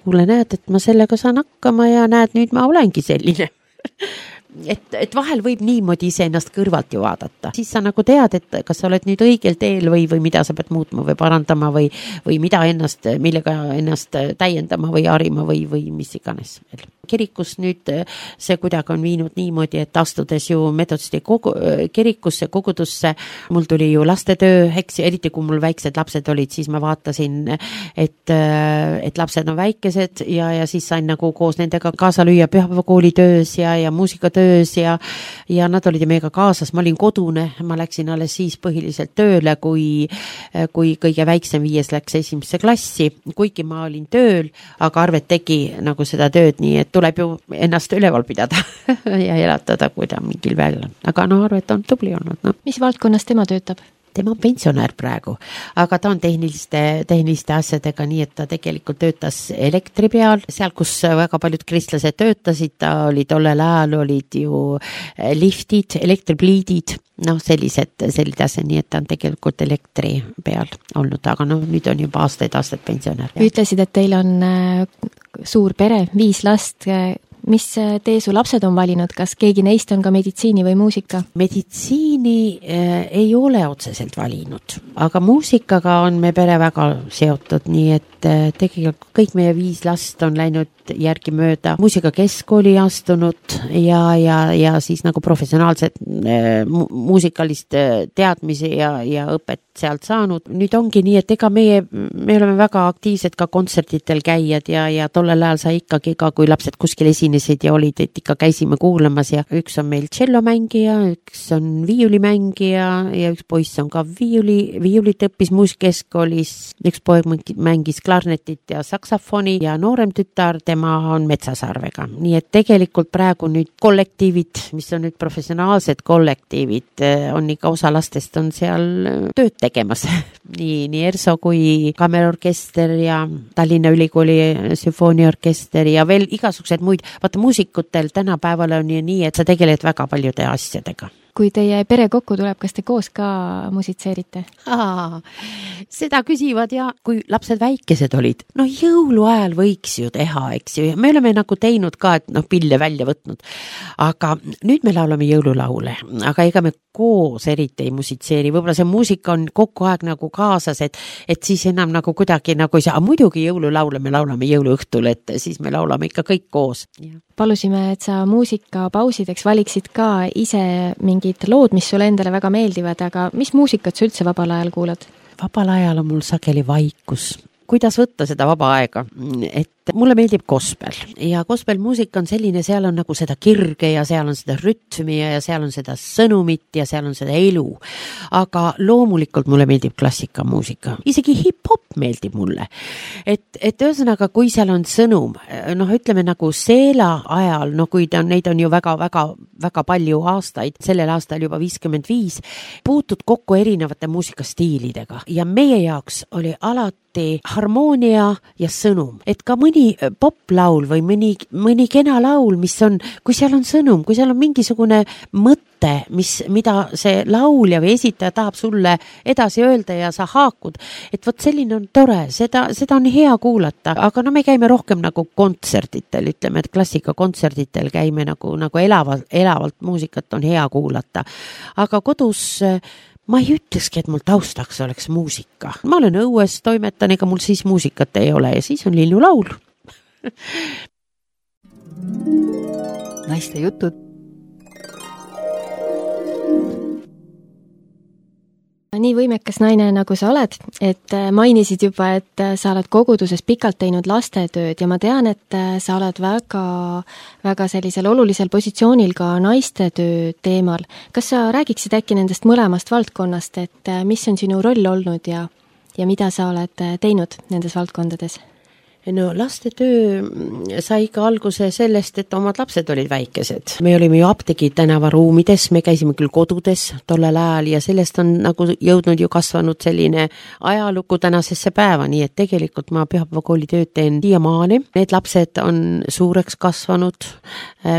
kuule näed, et ma sellega saan hakkama ja näed, nüüd ma olengi selline. Et vahel võib niimoodi iseennast kõrvalt ju vaadata. Siis sa nagu tead, et kas sa oled nüüd õigel teel või mida sa pead muutma või parandama või millega ennast täiendama või harima või mis iganes. Kirikus nüüd see kuidagi on viinud niimoodi, et astudes ju Metodisti kirikusse, kogudusse, mul tuli ju lastetöö, eriti kui mul väiksed lapsed olid, siis ma vaatasin, et lapsed on väikesed ja siis sain nagu koos nendega kaasa lüüa pühapäevakooli töös ja muusikatöös ja nad olid meiega kaasas, ma olin kodune, ma läksin alles siis põhiliselt tööle, kui kõige väiksem 5 läks 1. klassi, kuigi ma olin tööl, aga Arvet tegi nagu seda tööd nii, et tuleb ju ennast üleval pidada ja elatada, kui ta mingil väel on. Aga Arvet on tubli olnud. Mis valdkonnas tema töötab? Tema on pensionär praegu, aga ta on tehniliste asjadega, nii et ta tegelikult töötas elektri peal, seal kus väga paljud kristlased töötasid, ta oli tollel ajal olid ju liftid, elektripliidid, sellised asjad, nii et ta on tegelikult elektri peal olnud, aga nüüd on juba aastaid pensionär. Ütlesid, et teil on suur pere, 5 last. mis tee su lapsed on valinud, kas keegi neist on ka meditsiini või muusika? Meditsiini ei ole otseselt valinud, aga muusikaga on me pere väga seotud, nii et tegelikult kõik meie 5 last on läinud järgimööda muusikakeskkooli astunud ja siis nagu professionaalset muusikalist teadmisi ja õpet sealt saanud. Nüüd ongi nii, et ega me oleme väga aktiivsed ka kontsertitel käijad ja tollel ajal sai ikkagi ka, kui lapsed kuskil esinesid ja olid, et ikka käisime kuulamas ja üks on meil tšellomängija, üks on viiulimängija ja üks poiss on ka viiulit õppis muusikakeskkoolis, üks poeg mängis klarnetit ja saksafoni ja noorem tütar, tema on metsasarvega. Nii et tegelikult praegu nüüd kollektiivid, mis on nüüd professionaalsed kollektiivid, on ikka osa lastest on seal tööd tegemas. nii ERSO kui kammerorkester ja Tallinna Ülikooli sümfooniaorkester ja veel igasugused muid. Vaata, muusikutel tänapäeval on ju nii, et sa tegeled väga paljude asjadega. Kui teie pere kokku tuleb, kas te koos ka musitseerite? Seda küsivad ja kui lapsed väikesed olid, jõuluajal võiks ju teha, eks ju, ja me oleme nagu teinud ka, et pille välja võtnud, aga nüüd me laulame jõululaule, aga ega me koos eriti ei musitseeri, võib-olla see muusika on kogu aeg nagu kaasas, et siis enam nagu kuidagi nagu ei saa, muidugi jõululaule me laulame jõuluõhtul, et siis me laulame ikka kõik koos. Palusime, et sa muusikapausideks valiksid ka ise mingid lood, mis sulle endale väga meeldivad, aga mis muusikat sa üldse vabal ajal kuulad? Vabal ajal on mul sageli vaikus. Kuidas võtta seda vaba aega? Et mulle meeldib gospel ja gospelmuusika on selline, seal on nagu seda kirge ja seal on seda rütmi ja seal on seda sõnumit ja seal on seda elu. Aga loomulikult mulle meeldib klassikamuusika. Isegi hip-hop meeldib mulle. Et ühesõnaga, kui seal on sõnum, ütleme nagu seela ajal, kui neid on ju väga palju aastaid, sellel aastal juba 55, puutud kokku erinevate muusikastiilidega ja meie jaoks oli alati harmoonia ja sõnum, et ka mõni poplaul või mõni kena laul, mis on, kui seal on sõnum, kui seal on mingisugune mõte, mida see laulja või esitaja tahab sulle edasi öelda ja sa haakud, et vot selline on tore, seda on hea kuulata, aga me käime rohkem nagu kontsertitel, ütleme, et klassikakontsertitel käime nagu elavalt muusikat on hea kuulata, aga kodus ma ei ütlekski, et mul taustaks oleks muusika. Ma olen õues, toimetan, ega mul siis muusikat ei ole ja siis on linnulaul. Naiste jutud. Nii võimekas naine, nagu sa oled, et mainisid juba, et sa oled koguduses pikalt teinud lastetööd ja ma tean, et sa oled väga sellisel olulisel positsioonil ka naiste töö teemal. Kas sa räägiksid äkki nendest mõlemast valdkonnast, et mis on sinu roll olnud ja mida sa oled teinud nendes valdkondades? Lastetöö sai ka alguse sellest, et omad lapsed olid väikesed. Me olime ju Apteegi tänava ruumides, me käisime küll kodudes tollel ajal ja sellest on nagu jõudnud ju kasvanud selline ajalugu tänasesse päeva, nii et tegelikult ma Pühapäevakooli tööd teen siiamaani. Need lapsed on suureks kasvanud,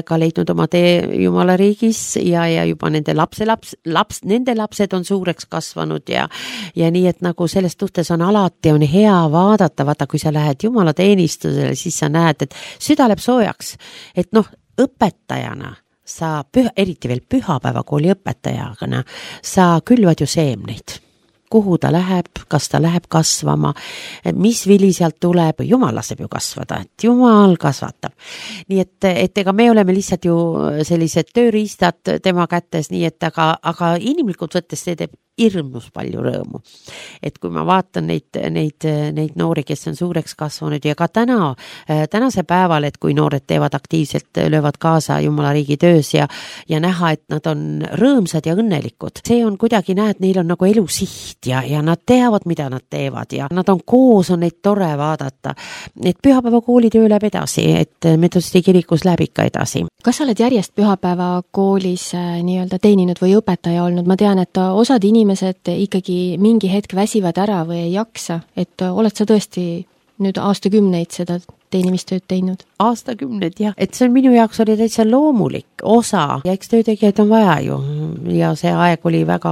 ka leidnud oma tee Jumala riigis ja juba nende nende lapsed on suureks kasvanud ja nii, et nagu selles suhtes on alati on hea vaadata, vaata kui sa lähed Jumala teenistusele, siis sa näed, et süda läheb soojaks, et õpetajana sa, eriti veel Pühapäevakooli õpetajana, sa külvad ju seemneid. Kuhu ta läheb, kas ta läheb kasvama, mis vili sealt tuleb, Jumal laseb ju kasvada, et Jumal kasvatab. Nii et ega me oleme lihtsalt ju sellised tööriistad tema kätes, nii et aga inimlikult võttes see teeb hirmus palju rõõmu. Et kui ma vaatan neid noori, kes on suureks kasvanud ja ka tänase päeval, et kui noored teevad aktiivselt, löövad kaasa Jumala riigi töös ja näha, et nad on rõõmsad ja õnnelikud. See on kuidagi näed, neil on nagu elusiht ja nad teavad, mida nad teevad ja nad on koos, on neid tore vaadata. Et Pühapäevakooli töö läheb edasi, et Metodiste kirikus läheb ikka edasi. Kas sa oled järjest Pühapäevakoolis nii-öelda teeninud või õpetaja olnud? Ma tean, et osad inimesed ikkagi mingi hetk väsivad ära või ei jaksa, et oled sa tõesti nüüd aastakümneid seda teenimistööd teinud? Aastakümneid, jah. Et see on minu jaoks oli täitsa loomulik osa ja eks töötegijaid on vaja ju ja see aeg oli väga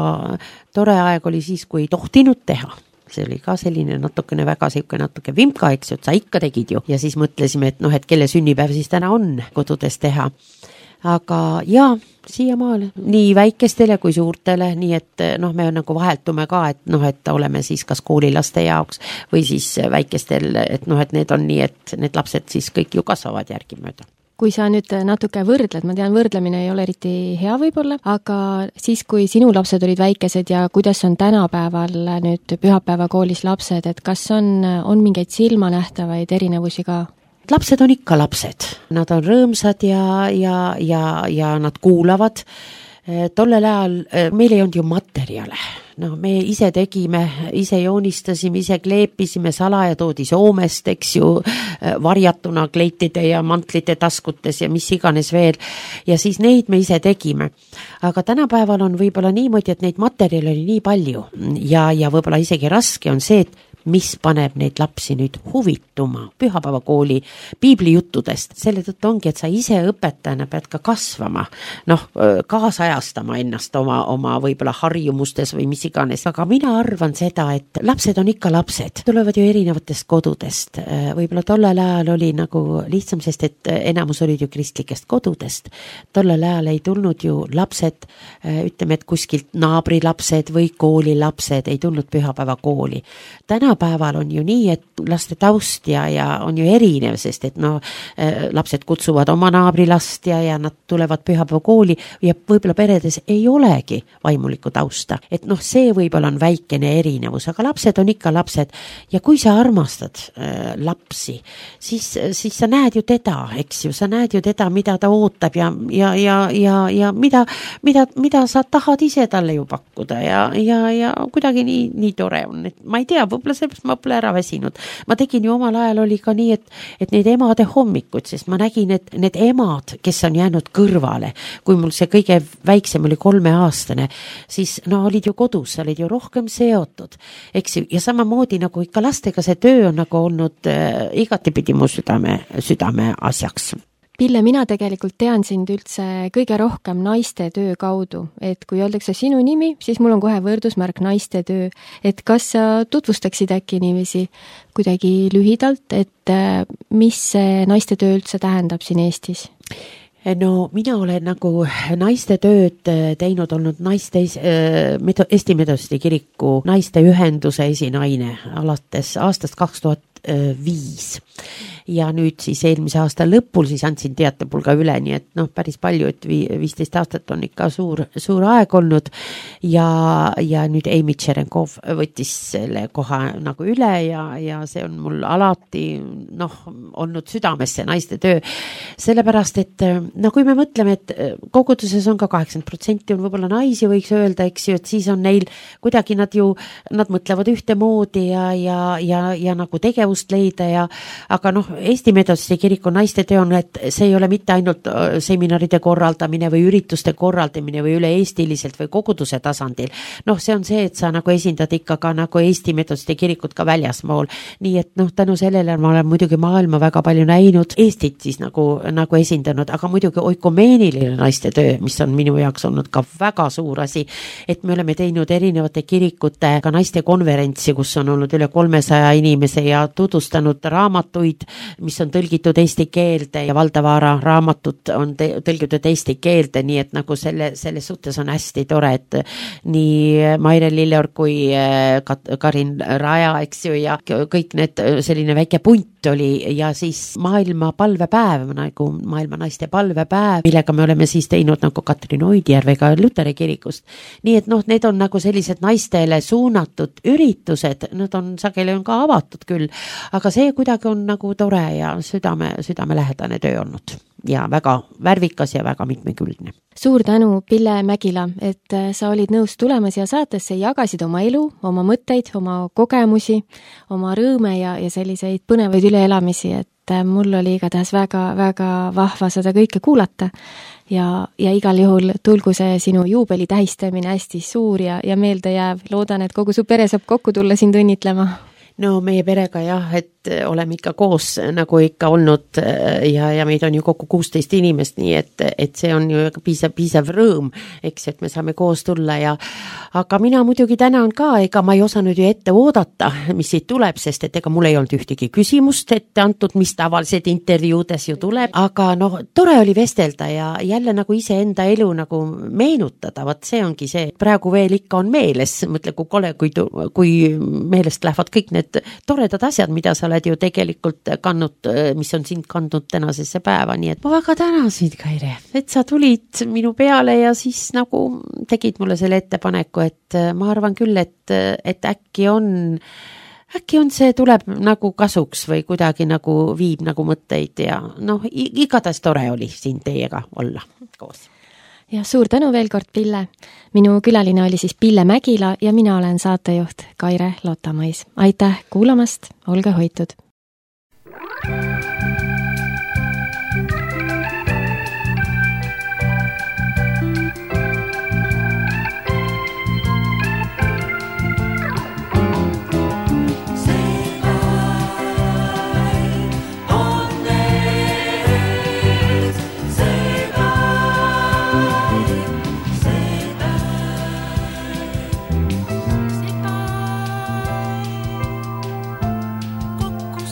tore aeg oli siis, kui ei tohtinud teha. see oli ka selline natukene väga natuke vimka, eks ju, et sa ikka tegid ju. Ja siis mõtlesime, et et kelle sünnipäev siis täna on kodudes teha. Aga jaa, siiamaale nii väikestele kui suurtele, nii et me nagu vaheltume ka, et oleme siis kas koolilaste jaoks või siis väikestel, et need on nii, et need lapsed siis kõik ju kasvavad järgimööda. Kui sa nüüd natuke võrdled, ma tean, võrdlemine ei ole eriti hea võib-olla, aga siis, kui sinu lapsed olid väikesed ja kuidas on tänapäeval nüüd pühapäevakoolis lapsed, et kas on mingeid silmanähtavaid erinevusi ka? Lapsed on ikka lapsed, nad on rõõmsad ja nad kuulavad. Tollel ajal meil ei olnud ju materjale, me ise tegime, ise joonistasime, ise kleepisime, salaja toodi Soomest, eks ju, varjatuna kleitide ja mantlite taskutes ja mis iganes veel, ja siis neid me ise tegime. Aga tänapäeval on võib-olla niimoodi, et neid materjale oli nii palju ja võib-olla isegi raske on see, et mis paneb neid lapsi nüüd huvituma pühapäevakooli piiblijuttudest. Selle tõttu ongi, et sa ise õpetajana pead ka kasvama, kaasajastama ennast oma võib-olla harjumustes või mis iganes. Aga mina arvan seda, et lapsed on ikka lapsed, tulevad ju erinevatest kodudest. Võib-olla tollel ajal oli nagu lihtsam, sest et enamus olid ju kristlikest kodudest. Tollel ajal ei tulnud ju lapsed, ütleme, et kuskilt naabrilapsed või koolilapsed ei tulnud pühapäevakooli. Tänapäeval on ju nii, et laste taust ja on ju erinev, sest et lapsed kutsuvad oma naabrilast ja nad tulevad pühapäevakooli ja võib-olla peredes ei olegi vaimulikku tausta. Et see võib-olla on väikene erinevus, aga lapsed on ikka lapsed ja kui sa armastad lapsi, siis sa näed ju teda, eks ju, sa näed ju teda, mida ta ootab ja mida sa tahad ise talle ju pakkuda ja kuidagi nii tore on, et ma ei tea, võib-olla sellepärast ma pole ära väsinud. Ma tegin ju omal ajal oli ka nii, et neid emade hommikud, sest ma nägin, et need emad, kes on jäänud kõrvale, kui mul see kõige väiksem oli 3-aastane, siis olid ju kodus, olid ju rohkem seotud, eks ju, ja samamoodi nagu ikka lastega see töö on nagu olnud igatipidi mu südame asjaks. Pille, mina tegelikult tean sind üldse kõige rohkem naiste töö kaudu, et kui öeldakse sinu nimi, siis mul on kohe võrdusmärk naiste töö, et kas sa tutvustaksid äkki niiviisi kuidagi lühidalt, et mis see naiste töö üldse tähendab siin Eestis? Mina olen nagu naiste tööd teinud, olnud Eesti Metodisti Kiriku naiste ühenduse esinaine alates aastast 2005 ja nüüd siis eelmise aasta lõpul siis andsin teatepulga üle, nii et päris palju, et 15 aastat on ikka suur aeg olnud ja nüüd Amy Tšerenkov võttis selle koha nagu üle ja see on mul alati olnud südames see naiste töö, sellepärast et kui me mõtleme, et koguduses on ka 80% on võib-olla naisi, võiks öelda, eks ju, et siis on neil kuidagi nad mõtlevad ühtemoodi ja nagu tegevust leida aga Eesti Metodisti Kiriku naiste töö on, et see ei ole mitte ainult seminaride korraldamine või ürituste korraldamine või üle-eestiliselt või koguduse tasandil. See on see, et sa nagu esindad ikka ka nagu Eesti Metodisti Kirikut ka väljaspool. Nii et tänu sellele ma olen muidugi maailma väga palju näinud, Eestit siis nagu esindanud, aga muidugi oikumeeniline naiste töö, mis on minu jaoks olnud ka väga suur asi, et me oleme teinud erinevate kirikute ka naiste konverentsi, kus on olnud üle 300 inimese ja tutvustanud raamatuid, mis on tõlgitud eesti keelde ja Valdavara raamatud on tõlgitud eesti keelde, nii et nagu selles suhtes on hästi tore, et nii Maire Lilleorg kui Karin Raja, eks ju, ja kõik need selline väike punt oli ja siis maailma palvepäev, nagu maailma naiste palvepäev, millega me oleme siis teinud nagu Katrin Oidjärvega Luteri kirikust. Nii et need on nagu sellised naistele suunatud üritused, nad on sageli on ka avatud küll, aga see kuidagi on nagu tore ja südamelähedane töö olnud ja väga värvikas ja väga mitmekülgne. Suur tänu, Pille Mägila, et sa olid nõus tulema siia saatesse, jagasid oma elu, oma mõtteid, oma kogemusi, oma rõõme ja selliseid põnevaid üleelamisi, et mul oli igatahes väga vahva seda kõike kuulata ja igal juhul tulgu see sinu juubeli tähistamine hästi suur ja meelde jääv. Loodan, et kogu su pere saab kokku tulla sind õnnitlema. Meie perega jah, et et oleme ikka koos nagu ikka olnud ja meid on ju kokku 16 inimest, nii et see on ju piisav rõõm, eks, et me saame koos tulla aga mina muidugi tänan ka, ega ma ei osanud ju ette oodata, mis siit tuleb, sest et ega mul ei olnud ühtegi küsimust ette antud, mis tavaliselt intervjuudes ju tuleb, aga noh, tore oli vestelda ja jälle nagu iseenda elu nagu meenutada, vot see ongi see, praegu veel ikka on meeles, mõtle kui kole, kui meelest lähevad kõik need toredad asjad, mida sa oled ju tegelikult kandnud, mis on sind kandnud tänasesse päeva, nii et ma väga tänasin, Kaire, et sa tulid minu peale ja siis nagu tegid mulle selle ettepaneku, et ma arvan küll, et äkki on see tuleb nagu kasuks või kuidagi nagu viib nagu mõtteid ja noh, igatahes tore oli siin teiega olla koos. Ja suur tänu veel kord, Pille. Minu külaline oli siis Pille Mägila ja mina olen saatejuht Kaire Lotamõis. Aitäh kuulamast, olge hoitud! Kokku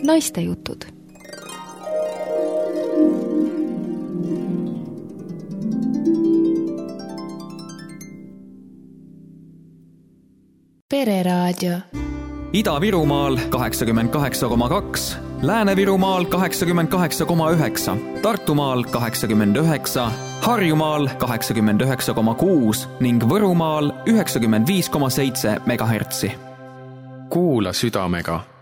naiste jutud. Pereraadio. Ida-Virumaal 88,2, Lääne-Virumaal 88,9, Tartumaal 89, Harjumaal 89,6 ning Võrumaal 95,7 megahertsi. Kuula südamega